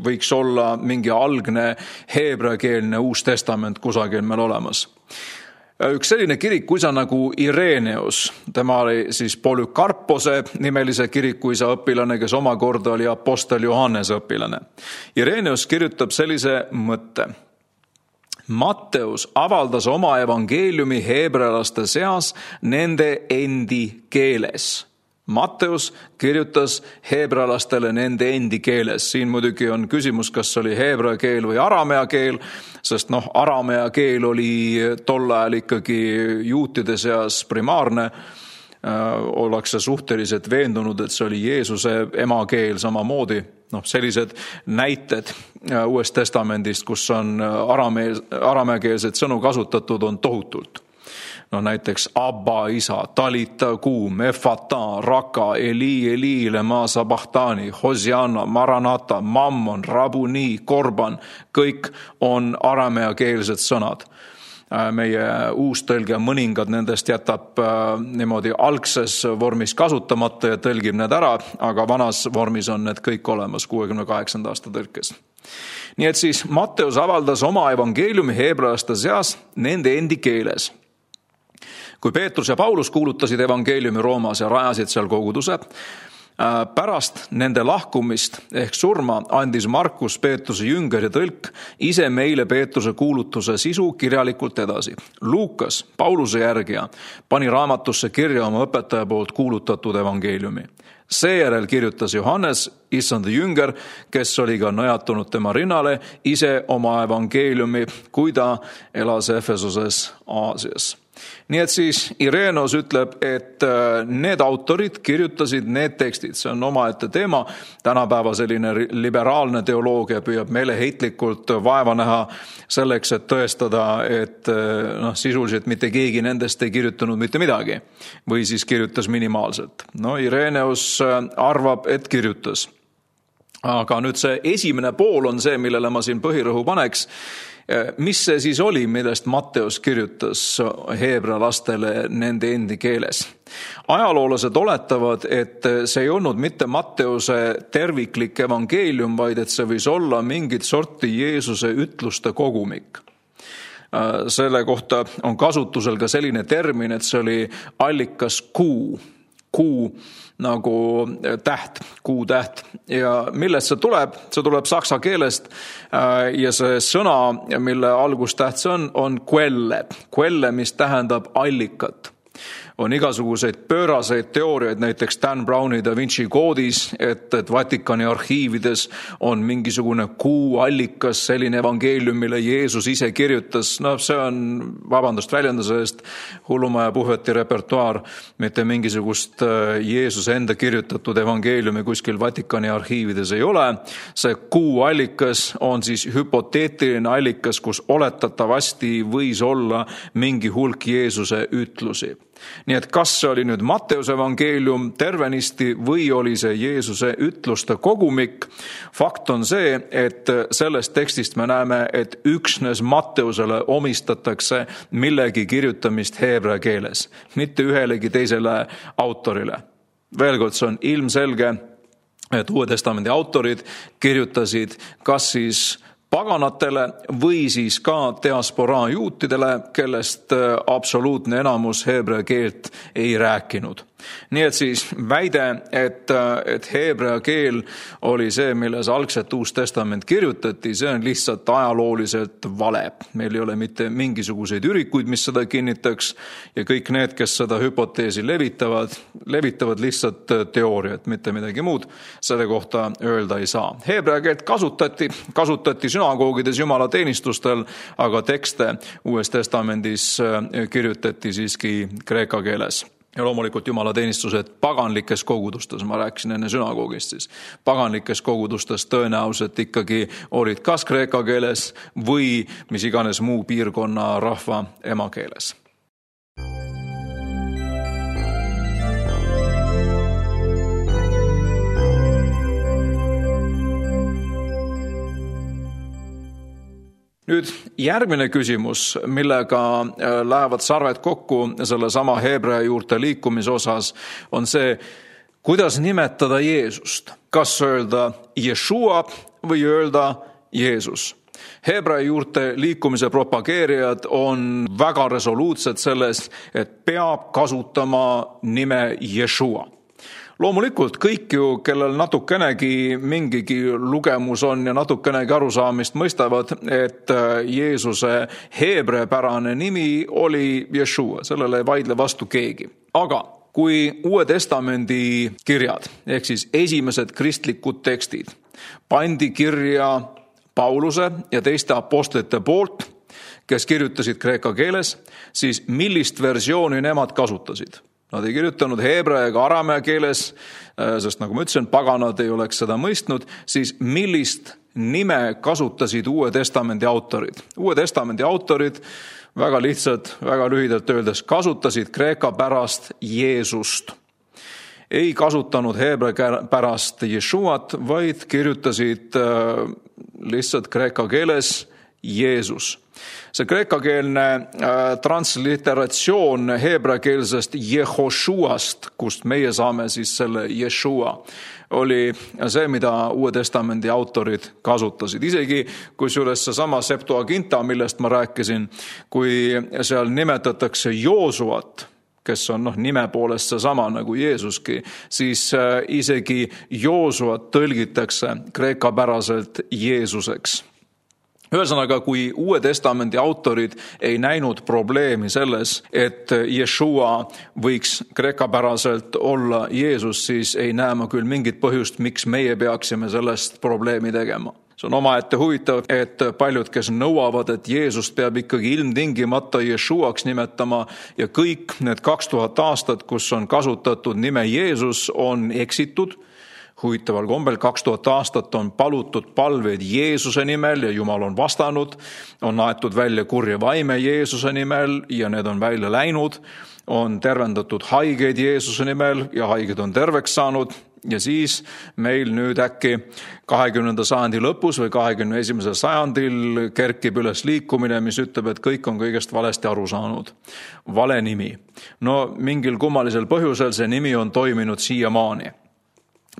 võiks olla mingi algne heebreakeelne Uus Testament kusagil meil olemas? Üks selline kirikuisa nagu Ireneus, tema oli siis Polükarpose nimelise kirikuisa õpilane, kes omakorda oli apostel Johannese õpilane. Ireneus kirjutab sellise mõtte. Matteus avaldas oma evangeeliumi heebrealaste seas nende endi keeles. Matteus kirjutas heebrealastele nende endi keeles. Siin muidugi on küsimus, kas oli heebrea keel või aramea keel, sest aramea keel oli tol ajal ikkagi juutide seas primaarne. Ollakse suhteliselt veendunud, et see oli Jeesuse emakeel samamoodi. Sellised näited Uuest Testamendist, kus on arameakeelset sõnu kasutatud, on tohutult. Näiteks Abba, isa, talita, kuum, efata, raka, Eli, lema sabahtani, Hosianna, maranata, mammon, rabuni, korban. Kõik on arameakeelsed sõnad. Meie uus tõlge mõningad nendest jätab niimoodi algses vormis kasutamata ja tõlgib need ära, aga vanas vormis on need kõik olemas 68. aasta tõlkes. Nii et siis Matteus avaldas oma evangeeliumi heebrealaste seas nende endi keeles. Kui Peetrus ja Paulus kuulutasid evangeeliumi Roomas ja rajasid seal koguduse, pärast nende lahkumist ehk surma andis Markus, Peetruse jünger ja tõlk, ise meile Peetruse kuulutuse sisu kirjalikult edasi. Luukas, Pauluse järgija, pani raamatusse kirja oma õpetaja poolt kuulutatud evangeeliumi. Seejärel kirjutas Johannes, issanda jünger, kes oli ka nõjatunud tema rinnale, ise oma evangeeliumi, kui ta elas Efesoses Aasias. Nii et siis Irenos ütleb, et need autorid kirjutasid need tekstid. See on omaette teema. Tänapäeva selline liberaalne teoloogia püüab meeleheitlikult vaeva näha selleks, et tõestada, et sisuliselt mitte keegi nendest ei kirjutanud mitte midagi või siis kirjutas minimaalselt. Ireneus arvab, et kirjutas. Aga nüüd see esimene pool on see, millele ma siin põhirõhu paneks. Mis see siis oli, millest Matteus kirjutas heebrea lastele nende endi keeles? Ajaloolased oletavad, et see ei olnud mitte Matteuse terviklik evangeelium, vaid et see võis olla mingit sorti Jeesuse ütluste kogumik. Selle kohta on kasutusel ka selline termin, et see oli allikas kuu nagu täht, kuutäht. Ja millest see tuleb? See tuleb saksa keelest ja see sõna, mille algustäht see on quelle. Quelle, mis tähendab allikat. On igasuguseid pööraseid teooriaid, näiteks Dan Browni Da Vinci koodis, et Vatikani arhiivides on mingisugune kuuallikas, selline evangeelium, mille Jeesus ise kirjutas. See on, väljenduse eest, hullumaja puhveti repertuaar, mitte mingisugust Jeesuse enda kirjutatud evangeeliumi kuskil Vatikani arhiivides ei ole. See kuuallikas on siis hüpoteetiline allikas, kus oletatavasti võis olla mingi hulk Jeesuse ütlusi. Nii et kas see oli nüüd Matteuse evangeelium tervenisti või oli see Jeesuse ütluste kogumik? Fakt on see, et sellest tekstist me näeme, et üksnes Matteusele omistatakse millegi kirjutamist heebrea keeles, mitte ühelegi teisele autorile. Veel kord, see on ilmselge, et Uue Testamendi autorid kirjutasid kas siis paganatele või siis ka diasporaa juutidele, kellest absoluutne enamus heebrea keelt ei rääkinud. Nii et siis väide, et heebrea keel oli see, milles algselt Uus Testament kirjutati, see on lihtsalt ajalooliselt vale. Meil ei ole mitte mingisuguseid ürikuid, mis seda kinnitaks ja kõik need, kes seda hüpoteesi levitavad lihtsalt teooriat, mitte midagi muud. Selle kohta öelda ei saa. Heebrea keelt kasutati sünagoogides jumalateenistustel, aga tekste Uues Testamendis kirjutati siiski kreeka keeles. Ja loomulikult jumalateenistused paganlikes kogudustes, ma rääkisin enne sünagoogist siis, paganlikes kogudustes tõenäoliselt ikkagi olid kas kreeka keeles või mis iganes muu piirkonna rahva emakeeles. Nüüd järgmine küsimus, millega lähevad sarved kokku selle sama heebrea juurte liikumise osas, on see, kuidas nimetada Jeesust. Kas öelda Jeshua või öelda Jeesus? Heebrea juurte liikumise propageerijad on väga resoluutsed selles, et peab kasutama nime Jeshua. Loomulikult kõik ju, kellel natukenegi mingigi lugemus on ja natukenegi arusaamist mõistavad, et Jeesuse heebreapärane nimi oli Jeshua, sellele ei vaidle vastu keegi. Aga Kui Uue Testamendi kirjad, ehk siis esimesed kristlikud tekstid, pandi kirja Pauluse ja teiste apostlite poolt, kes kirjutasid kreeka keeles, siis millist versiooni nemad kasutasid? Nad ei kirjutanud heebrea ega aramea keeles, sest nagu ma ütlesin, paganad ei oleks seda mõistnud, siis millist nime kasutasid Uue Testamendi autorid? Uue Testamendi autorid väga lihtsalt, väga lühidalt öeldes kasutasid kreeka pärast Jeesust. Ei kasutanud heebrea pärast Jeshuat, vaid kirjutasid lihtsalt kreeka keeles Jeesus. See kreekakeelne transliteratsioon heebreakeelsest Jehoshuast, kust meie saame siis selle Jeshua, oli see, mida Uue Testamendi autorid kasutasid. Isegi kusjuures seesama Septuaginta, millest ma rääkisin, kui seal nimetatakse Joosuat, kes on nime poolest seesama nagu Jeesuski, siis isegi Joosuat tõlgitakse kreekapäraselt Jeesuseks. Ühesõnaga, kui Uue Testamendi autorid ei näinud probleemi selles, et Jeshua võiks kreekapäraselt olla Jeesus, siis ei näe ma küll mingit põhjust, miks meie peaksime sellest probleemi tegema. See on omaette huvitav, et paljud, kes nõuavad, et Jeesust peab ikkagi ilmtingimata Jeshuaks nimetama ja kõik need 2000 aastat, kus on kasutatud nime Jeesus, on eksitud. Huvitaval kombel 2000 aastat on palutud palveid Jeesuse nimel ja Jumal on vastanud, on aetud välja kurja vaime Jeesuse nimel ja need on välja läinud, on tervendatud haigeid Jeesuse nimel ja haiged on terveks saanud ja siis meil nüüd äkki 20. sajandi lõpus või 21. sajandil kerkib üles liikumine, mis ütleb, et kõik on kõigest valesti aru saanud. Vale nimi. No mingil kummalisel põhjusel see nimi on toiminud siiamaani.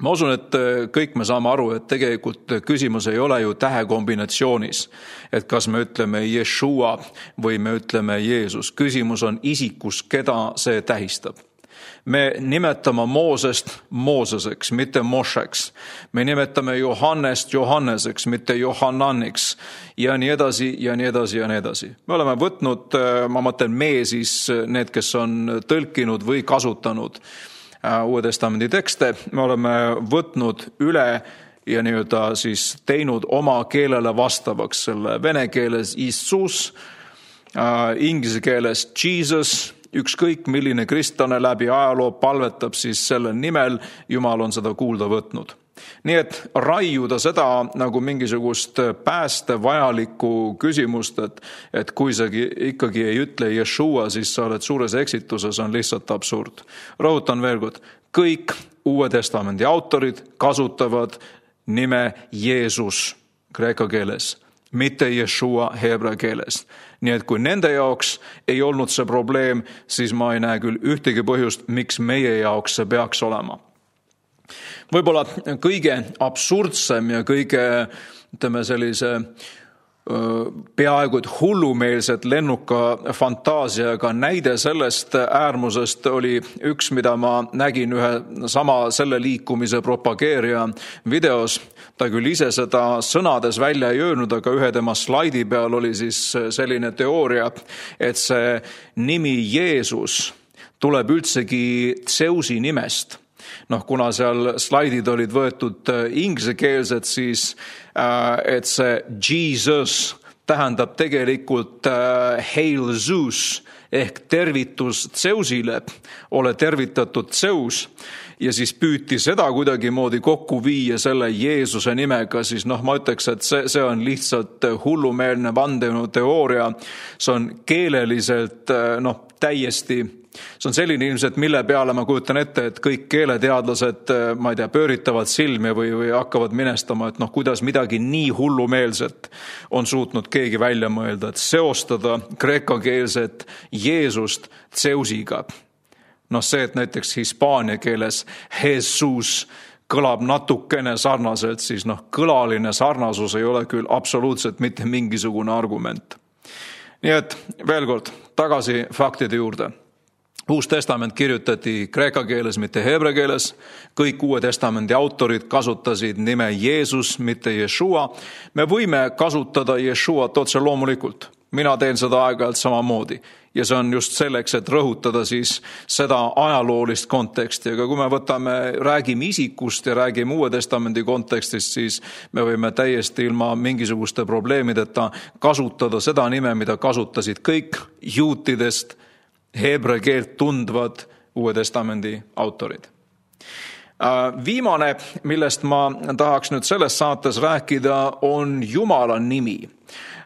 Ma usun, et kõik me saame aru, et tegelikult küsimus ei ole ju tähekombinatsioonis, et kas me ütleme Jeshua või me ütleme Jeesus. Küsimus on isikus, keda see tähistab. Me nimetame Moosest Mooseseks, mitte Mošeks. Me nimetame Johannest Johanneseks, mitte Johannaniks ja nii edasi ja nii edasi ja nii edasi. Me oleme võtnud, ma mõtlen me siis need, kes on tõlkinud või kasutanud Uue Testamendi tekste, me oleme võtnud üle ja nii-öelda siis teinud oma keelele vastavaks selle vene keeles Isus, inglise keeles Jesus, ükskõik milline kristlane läbi ajaloo palvetab siis selle nimel, Jumal on seda kuulda võtnud. Nii et raiuda seda nagu mingisugust pääste vajalikku küsimust, et kui sa ikkagi ei ütle Jeshua, siis sa oled suures eksituses, on lihtsalt absurd. Rõhutan veel kord, kõik Uue Testamendi autorid kasutavad nime Jeesus kreeka keeles, mitte Jeshua heebrea keeles. Nii et kui nende jaoks ei olnud see probleem, siis ma ei näe küll ühtegi põhjust, miks meie jaoks see peaks olema. Võib-olla kõige absurdsem ja kõige, ütleme sellise peaaegu et hullumeelset lennuka fantaasiaga näide sellest äärmusest oli üks, mida ma nägin ühe sama selle liikumise propageerija videos. Ta küll ise seda sõnades välja ei öelnud, aga ühe tema slaidi peal oli siis selline teooria, et see nimi Jeesus tuleb üldsegi Zeusi nimest. Kuna seal slaidid olid võetud ingliskeelsed, siis et see Jesus tähendab tegelikult Hail Zeus ehk tervitus Zeusile, ole tervitatud Zeus. Ja siis püüti seda kuidagimoodi kokku viia selle Jeesuse nimega, siis ma ütleks, et see on lihtsalt hullumeelne vandenõuteooria. See on keeleliselt täiesti. See on selline ilmselt, mille peale ma kujutan ette, et kõik keeleteadlased, ma ei tea, pööritavad silmi või hakkavad minestama, et kuidas midagi nii hullumeelset on suutnud keegi välja mõelda, et seostada kreekakeelset Jeesust Zeusiga. See, et näiteks hispaania keeles Jesus kõlab natukene sarnaselt, siis kõlaline sarnasus ei ole küll absoluutselt mitte mingisugune argument. Nii et veel kord, tagasi faktide juurde. Uus testament kirjutati kreeka keeles, mitte heebrea keeles. Kõik Uue Testamendi autorid kasutasid nime Jeesus, mitte Jeshua. Me võime kasutada Jeshuat otse loomulikult. Mina teen seda aeg-ajalt samamoodi. Ja see on just selleks, et rõhutada siis seda ajaloolist konteksti. Aga kui me räägime isikust ja räägime Uue Testamendi kontekstist, siis me võime täiesti ilma mingisuguste probleemideta kasutada seda nime, mida kasutasid kõik juutidest heebrea keelt tundvad Uue Testamendi autorid. Viimane, millest ma tahaks nüüd selles saates rääkida, on Jumala nimi.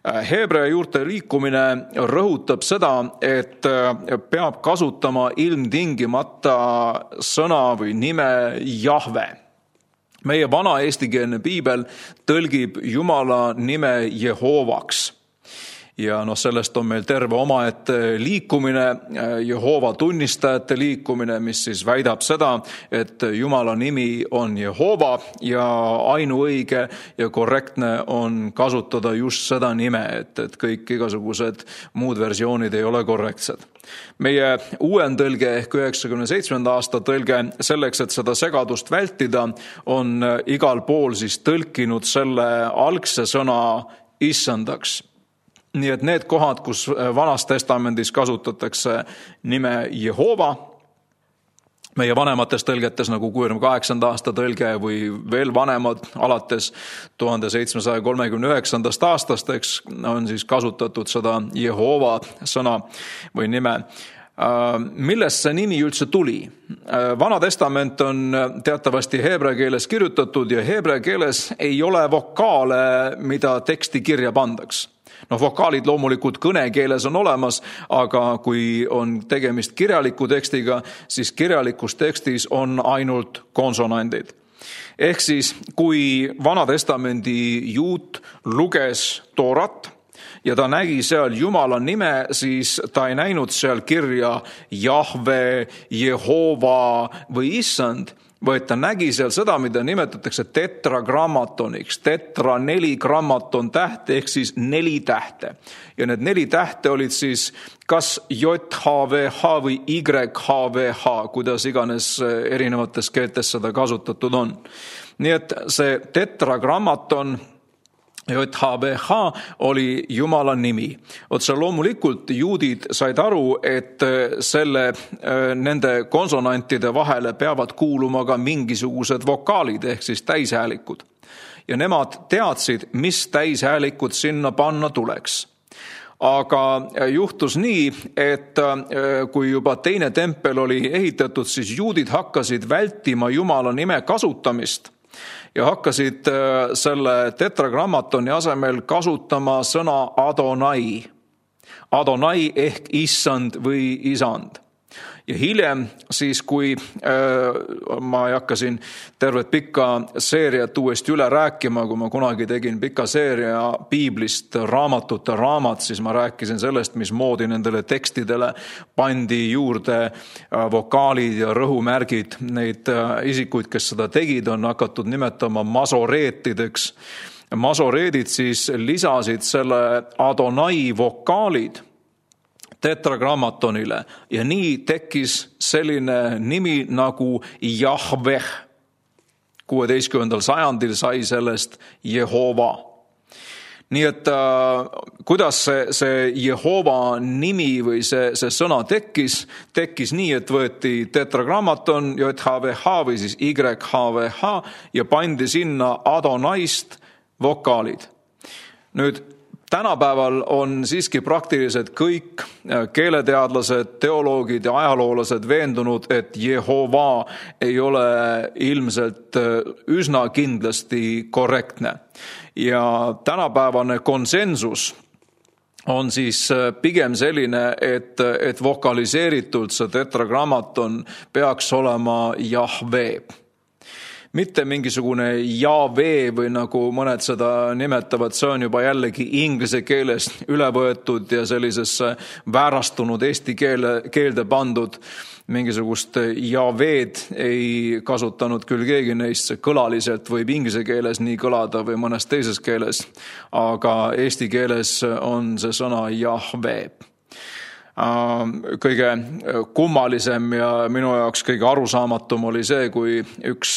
Heebrea juurte liikumine rõhutab seda, et peab kasutama ilmtingimata sõna või nime Jahve. Meie vana eestikeelne piibel tõlgib Jumala nime Jehovaks. Ja sellest on meil terve omaette liikumine, Jehova tunnistajate liikumine, mis siis väidab seda, et Jumala nimi on Jehova ja ainuõige ja korrektne on kasutada just seda nime, et kõik igasugused muud versioonid ei ole korrektsed. Meie uuendõlge ehk 97. aasta tõlge selleks, et seda segadust vältida, on igal pool siis tõlkinud selle algse sõna issandaks. Nii et need kohad, kus Vanas Testamendis kasutatakse nime Jehova, meie vanemates tõlgetes nagu 68. aasta tõlge või veel vanemad alates 1739. aastast, on siis kasutatud seda Jehova sõna või nime. Millest see nimi üldse tuli? Vana Testament on teatavasti heebrea keeles kirjutatud ja heebrea keeles ei ole vokaale, mida teksti kirja pandaks. Vokaalid loomulikult kõnekeeles on olemas, aga kui on tegemist kirjaliku tekstiga, siis kirjalikus tekstis on ainult konsonandid. Ehk siis, kui Vana Testamendi juut luges Toorat ja ta nägi seal Jumala nime, siis ta ei näinud seal kirja Jahve, Jehova või Issand, vaid ta nägi seal seda, mida nimetatakse tetragrammatoniks. Tetra 4 grammaton tähte ehk siis 4 tähte. Ja need 4 tähte olid siis kas JHVH või YHVH, kuidas iganes erinevates keeltes seda kasutatud on. Nii et see tetragrammaton JHVH oli Jumala nimi. Otse loomulikult juudid said aru, et nende konsonantide vahele peavad kuuluma ka mingisugused vokaalid ehk siis täishäälikud. Ja nemad teadsid, mis täishäälikud sinna panna tuleks. Aga juhtus nii, et kui juba teine tempel oli ehitatud, siis juudid hakkasid vältima Jumala nime kasutamist ja hakkasid selle tetragrammatoni asemel kasutama sõna Adonai. Adonai ehk issand või isand. Ja hiljem siis, kui ma ei hakka siin tervet pikka seeriat uuesti üle rääkima, kui ma kunagi tegin pika seeria piiblist raamatute raamat, siis ma rääkisin sellest, mismoodi nendele tekstidele pandi juurde vokaalid ja rõhumärgid. Neid isikuid, kes seda tegid, on hakatud nimetama masoreetideks. Masoreedid siis lisasid selle Adonai vokaalid tetragrammatonile ja nii tekkis selline nimi nagu Jahveh. 16. sajandil sai sellest Jehova. Nii et kuidas see Jehova nimi või see sõna tekkis nii, et võeti tetragrammaton JHVH või siis YHVH ja pandi sinna Adonaist vokaalid. Nüüd tänapäeval on siiski praktiliselt kõik keeleteadlased, teoloogid ja ajaloolased veendunud, et Jehova ei ole ilmselt üsna kindlasti korrektne. Ja tänapäevane konsensus on siis pigem selline, et vokaliseeritult see tetragrammaton peaks olema Jahve. Mitte mingisugune Jahve või nagu mõned seda nimetavad, see on juba jällegi inglise keelest üle võetud ja sellisesse väärastunud eesti keelde pandud. Mingisugust Jahved ei kasutanud küll keegi neist, see kõlaliselt võib inglise keeles nii kõlada või mõnes teises keeles, aga eesti keeles on see sõna Jahve. Kõige kummalisem ja minu jaoks kõige arusaamatum oli see, kui üks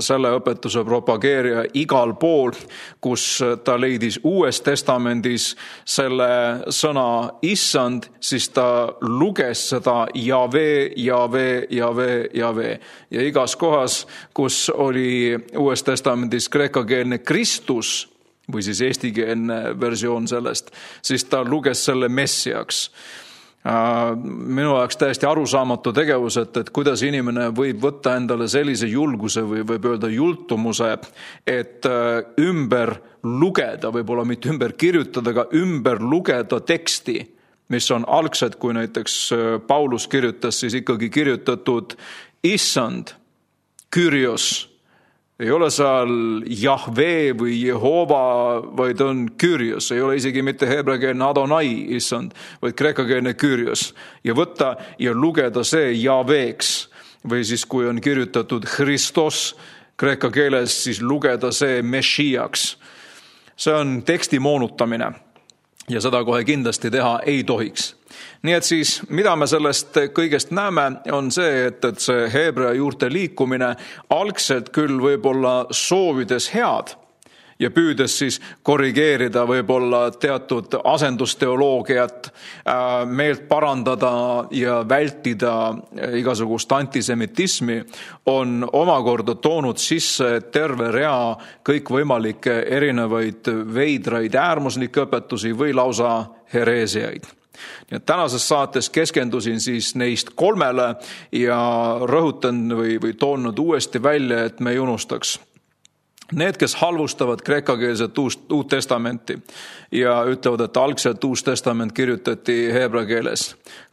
selle õpetuse propageerija igal pool, kus ta leidis Uues Testamendis selle sõna issand, siis ta luges seda Jave, Jave, Jave, Jave. Ja igas kohas, kus oli Uues Testamendis kreekakeelne Kristus, või siis eestikeelne versioon sellest, siis ta luges selle messiaks. Minu jaoks täiesti arusaamatu tegevus, et kuidas inimene võib võtta endale sellise julguse või võib öelda jultumuse, et ümber lugeda, võib-olla mitte ümber kirjutada, aga ümber lugeda teksti, mis on algselt, kui näiteks Paulus kirjutas, siis ikkagi kirjutatud issand, Kyrios. Ei ole seal Jahve või Jehova, vaid on Kyrios. Ei ole isegi mitte heebreakeelne Adonai, issand, vaid kreekakeelne Kyrios. Ja võtta ja lugeda see Javeks. Või siis kui on kirjutatud Christos kreeka keeles, siis lugeda see Meshiaks. See on teksti moonutamine. Ja seda kohe kindlasti teha ei tohiks. Nii et siis, mida me sellest kõigest näeme, on see, et see heebrea juurte liikumine algselt küll võib-olla soovides head ja püüdes siis korrigeerida võib-olla teatud asendusteoloogiat, meelt parandada ja vältida igasugust antisemitismi, on omakorda toonud sisse terve rea kõikvõimalikke erinevaid veidraid äärmuslikke õpetusi või lausa hereesiaid. Nii et tänases saates keskendusin siis neist 3 ja rõhutan või toon nad uuesti välja, et me ei unustaks. Need, kes halvustavad kreekakeelset Uut Testamenti ja ütlevad, et algselt Uus Testament kirjutati heebrea keeles,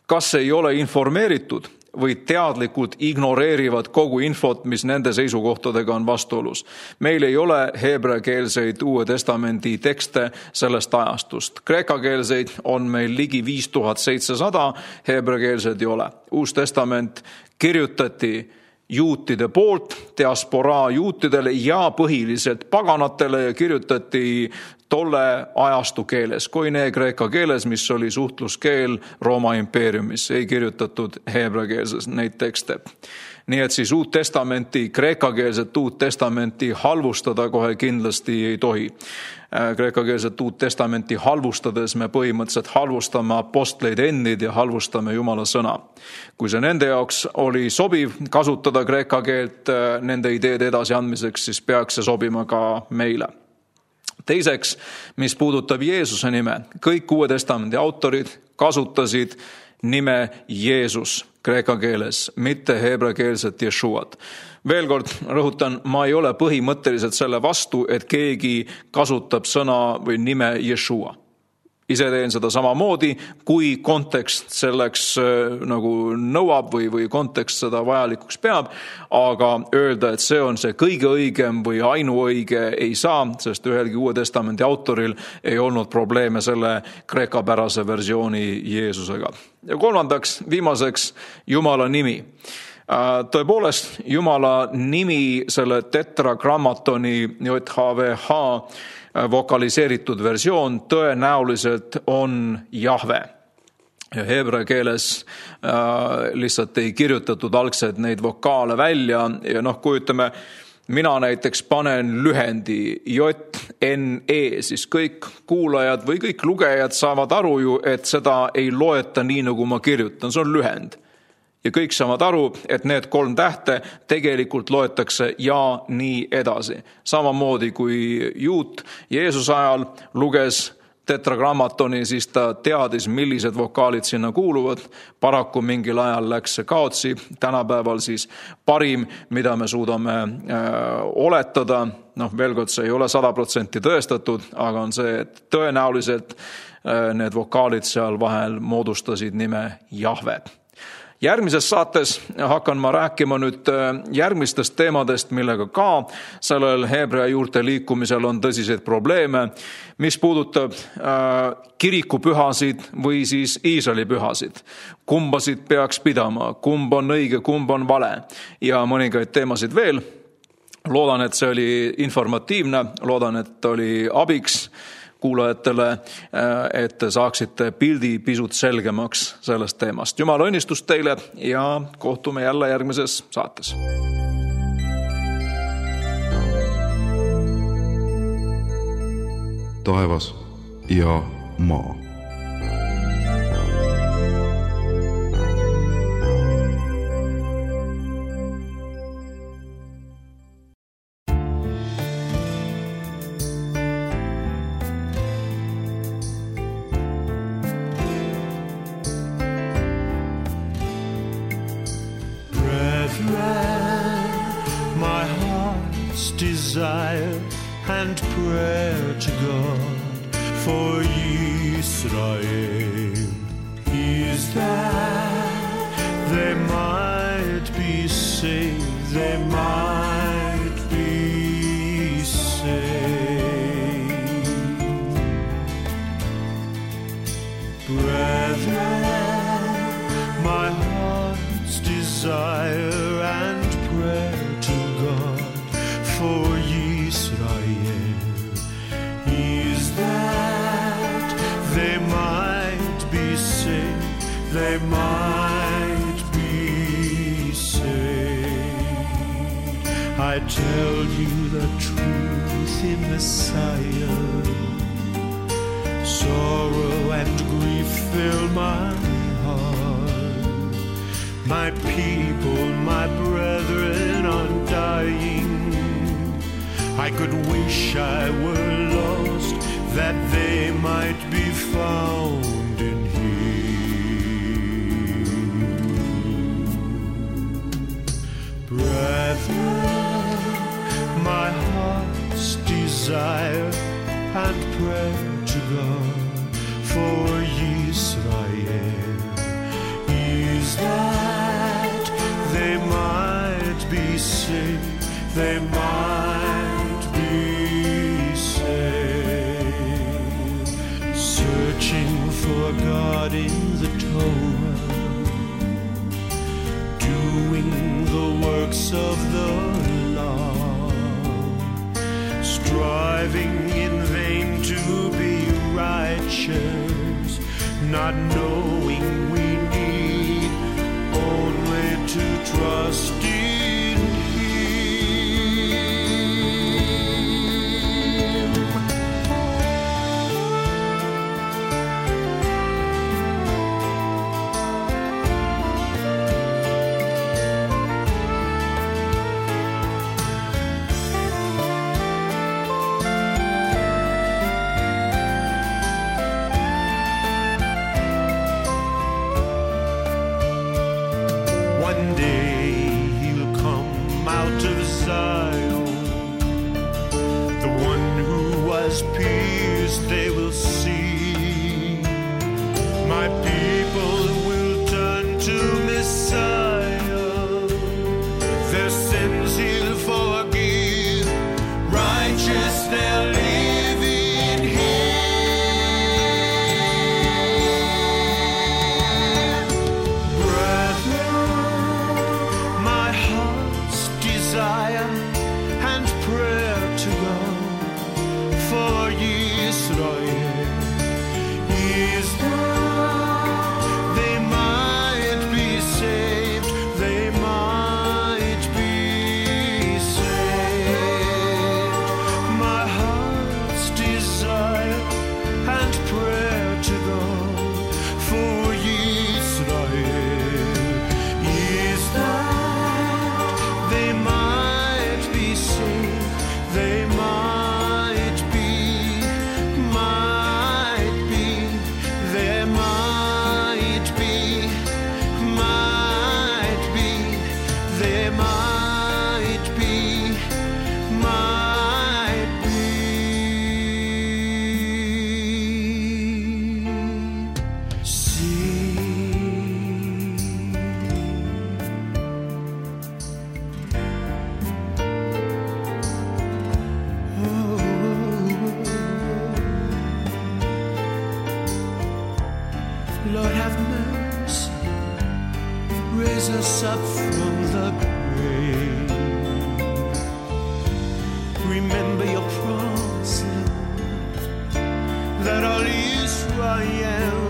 kas ei ole informeeritud või teadlikult ignoreerivad kogu infot, mis nende seisukohtadega on vastuolus. Meil ei ole heebreakeelseid Uue Testamendi tekste sellest ajastust. Kreekakeelseid on meil ligi 5700, heebreakeelseid ei ole. Uus Testament kirjutati juutide poolt, diasporaa juutidele ja põhiliselt paganatele ja kirjutati tolle ajastu keeles, koine kreeka keeles, mis oli suhtluskeel Rooma impeeriumis, ei kirjutatud heebreakeelses neid tekste. Nii et siis Uut Testamenti, kreekakeelset Uut Testamenti halvustada kohe kindlasti ei tohi. Kreekakeelset Uut Testamenti halvustades me põhimõtteliselt halvustame apostleid endid ja halvustame Jumala sõna. Kui see nende jaoks oli sobiv kasutada kreeka keelt nende ideede edasiandmiseks, siis peaks see sobima ka meile. Teiseks, mis puudutab Jeesuse nime, kõik Uue Testamendi autorid kasutasid nime Jeesus kreeka keeles, mitte heebreakeelset Jeshuat. Veel kord rõhutan, ma ei ole põhimõtteliselt selle vastu, et keegi kasutab sõna või nime Jeshua. Ise teen seda samamoodi, kui kontekst selleks nagu nõuab või kontekst seda vajalikuks peab, aga öelda, et see on see kõige õigem või ainuõige ei saa, sest ühelgi Uue Testamendi autoril ei olnud probleeme selle kreekapärase versiooni Jeesusega. Ja kolmandaks, viimaseks, Jumala nimi. Tõepoolest, Jumala nimi selle tetragrammatoni JHVH vokaliseeritud versioon tõenäoliselt on Jahve. Ja heebrea keeles lihtsalt ei kirjutatud algselt neid vokaale välja ja kujutame, mina näiteks panen lühendi JNE, siis kõik kuulajad või kõik lugejad saavad aru ju, et seda ei loeta nii, nagu ma kirjutan, see on lühend. Ja kõik saavad aru, et need 3 tähte tegelikult loetakse ja nii edasi. Samamoodi kui juut Jeesuse ajal luges tetragrammatoni, siis ta teadis, millised vokaalid sinna kuuluvad. Paraku mingil ajal läks see kaotsi. Tänapäeval siis parim, mida me suudame oletada, veel kord see ei ole 100% tõestatud, aga on see, et tõenäoliselt need vokaalid seal vahel moodustasid nime Jahve. Järgmises saates hakkan ma rääkima nüüd järgmistest teemadest, millega ka sellel heebrea juurte liikumisel on tõsiseid probleeme, mis puudutab kirikupühasid või siis Iisraeli pühasid. Kumbasid peaks pidama, kumb on õige, kumb on vale ja mõningaid teemasid veel. Loodan, et see oli informatiivne, loodan, et oli abiks. kuulajatele, et te saaksite pildi pisut selgemaks sellest teemast. Jumala õnnistust teile ja kohtume jälle järgmises saates. Taevas ja maa. My heart's desire and prayer to God for Israel is that they might be saved, they might be saved. Brethren, my heart's desire and prayer to God for Israel is that they might be saved, they might be saved. I tell you the truth in Messiah, sorrow and grief fill my heart. My people, my brethren are dying. I could wish I were lost, that they might be found in Him. Brethren, my heart's desire and prayer to God for Israel is that they might be saved, they might be saved. Searching for God in the Torah, doing the works of the law, striving in vain to be righteous, not knowing we need only to trust in one day he'll come out of Zion, the one who was pierced they will see. My people will turn to Messiah, their sins he'll forgive, righteous they'll live in Him. Brethren, my heart's desire and prayer to God for Israel is that they might be saved, they might be saved. My heart's desire and prayer to God for Israel is that they might be saved, they might be, there might be, there might be, see. Lord have mercy, raise us up from the grave. Remember your promise, Lord, I am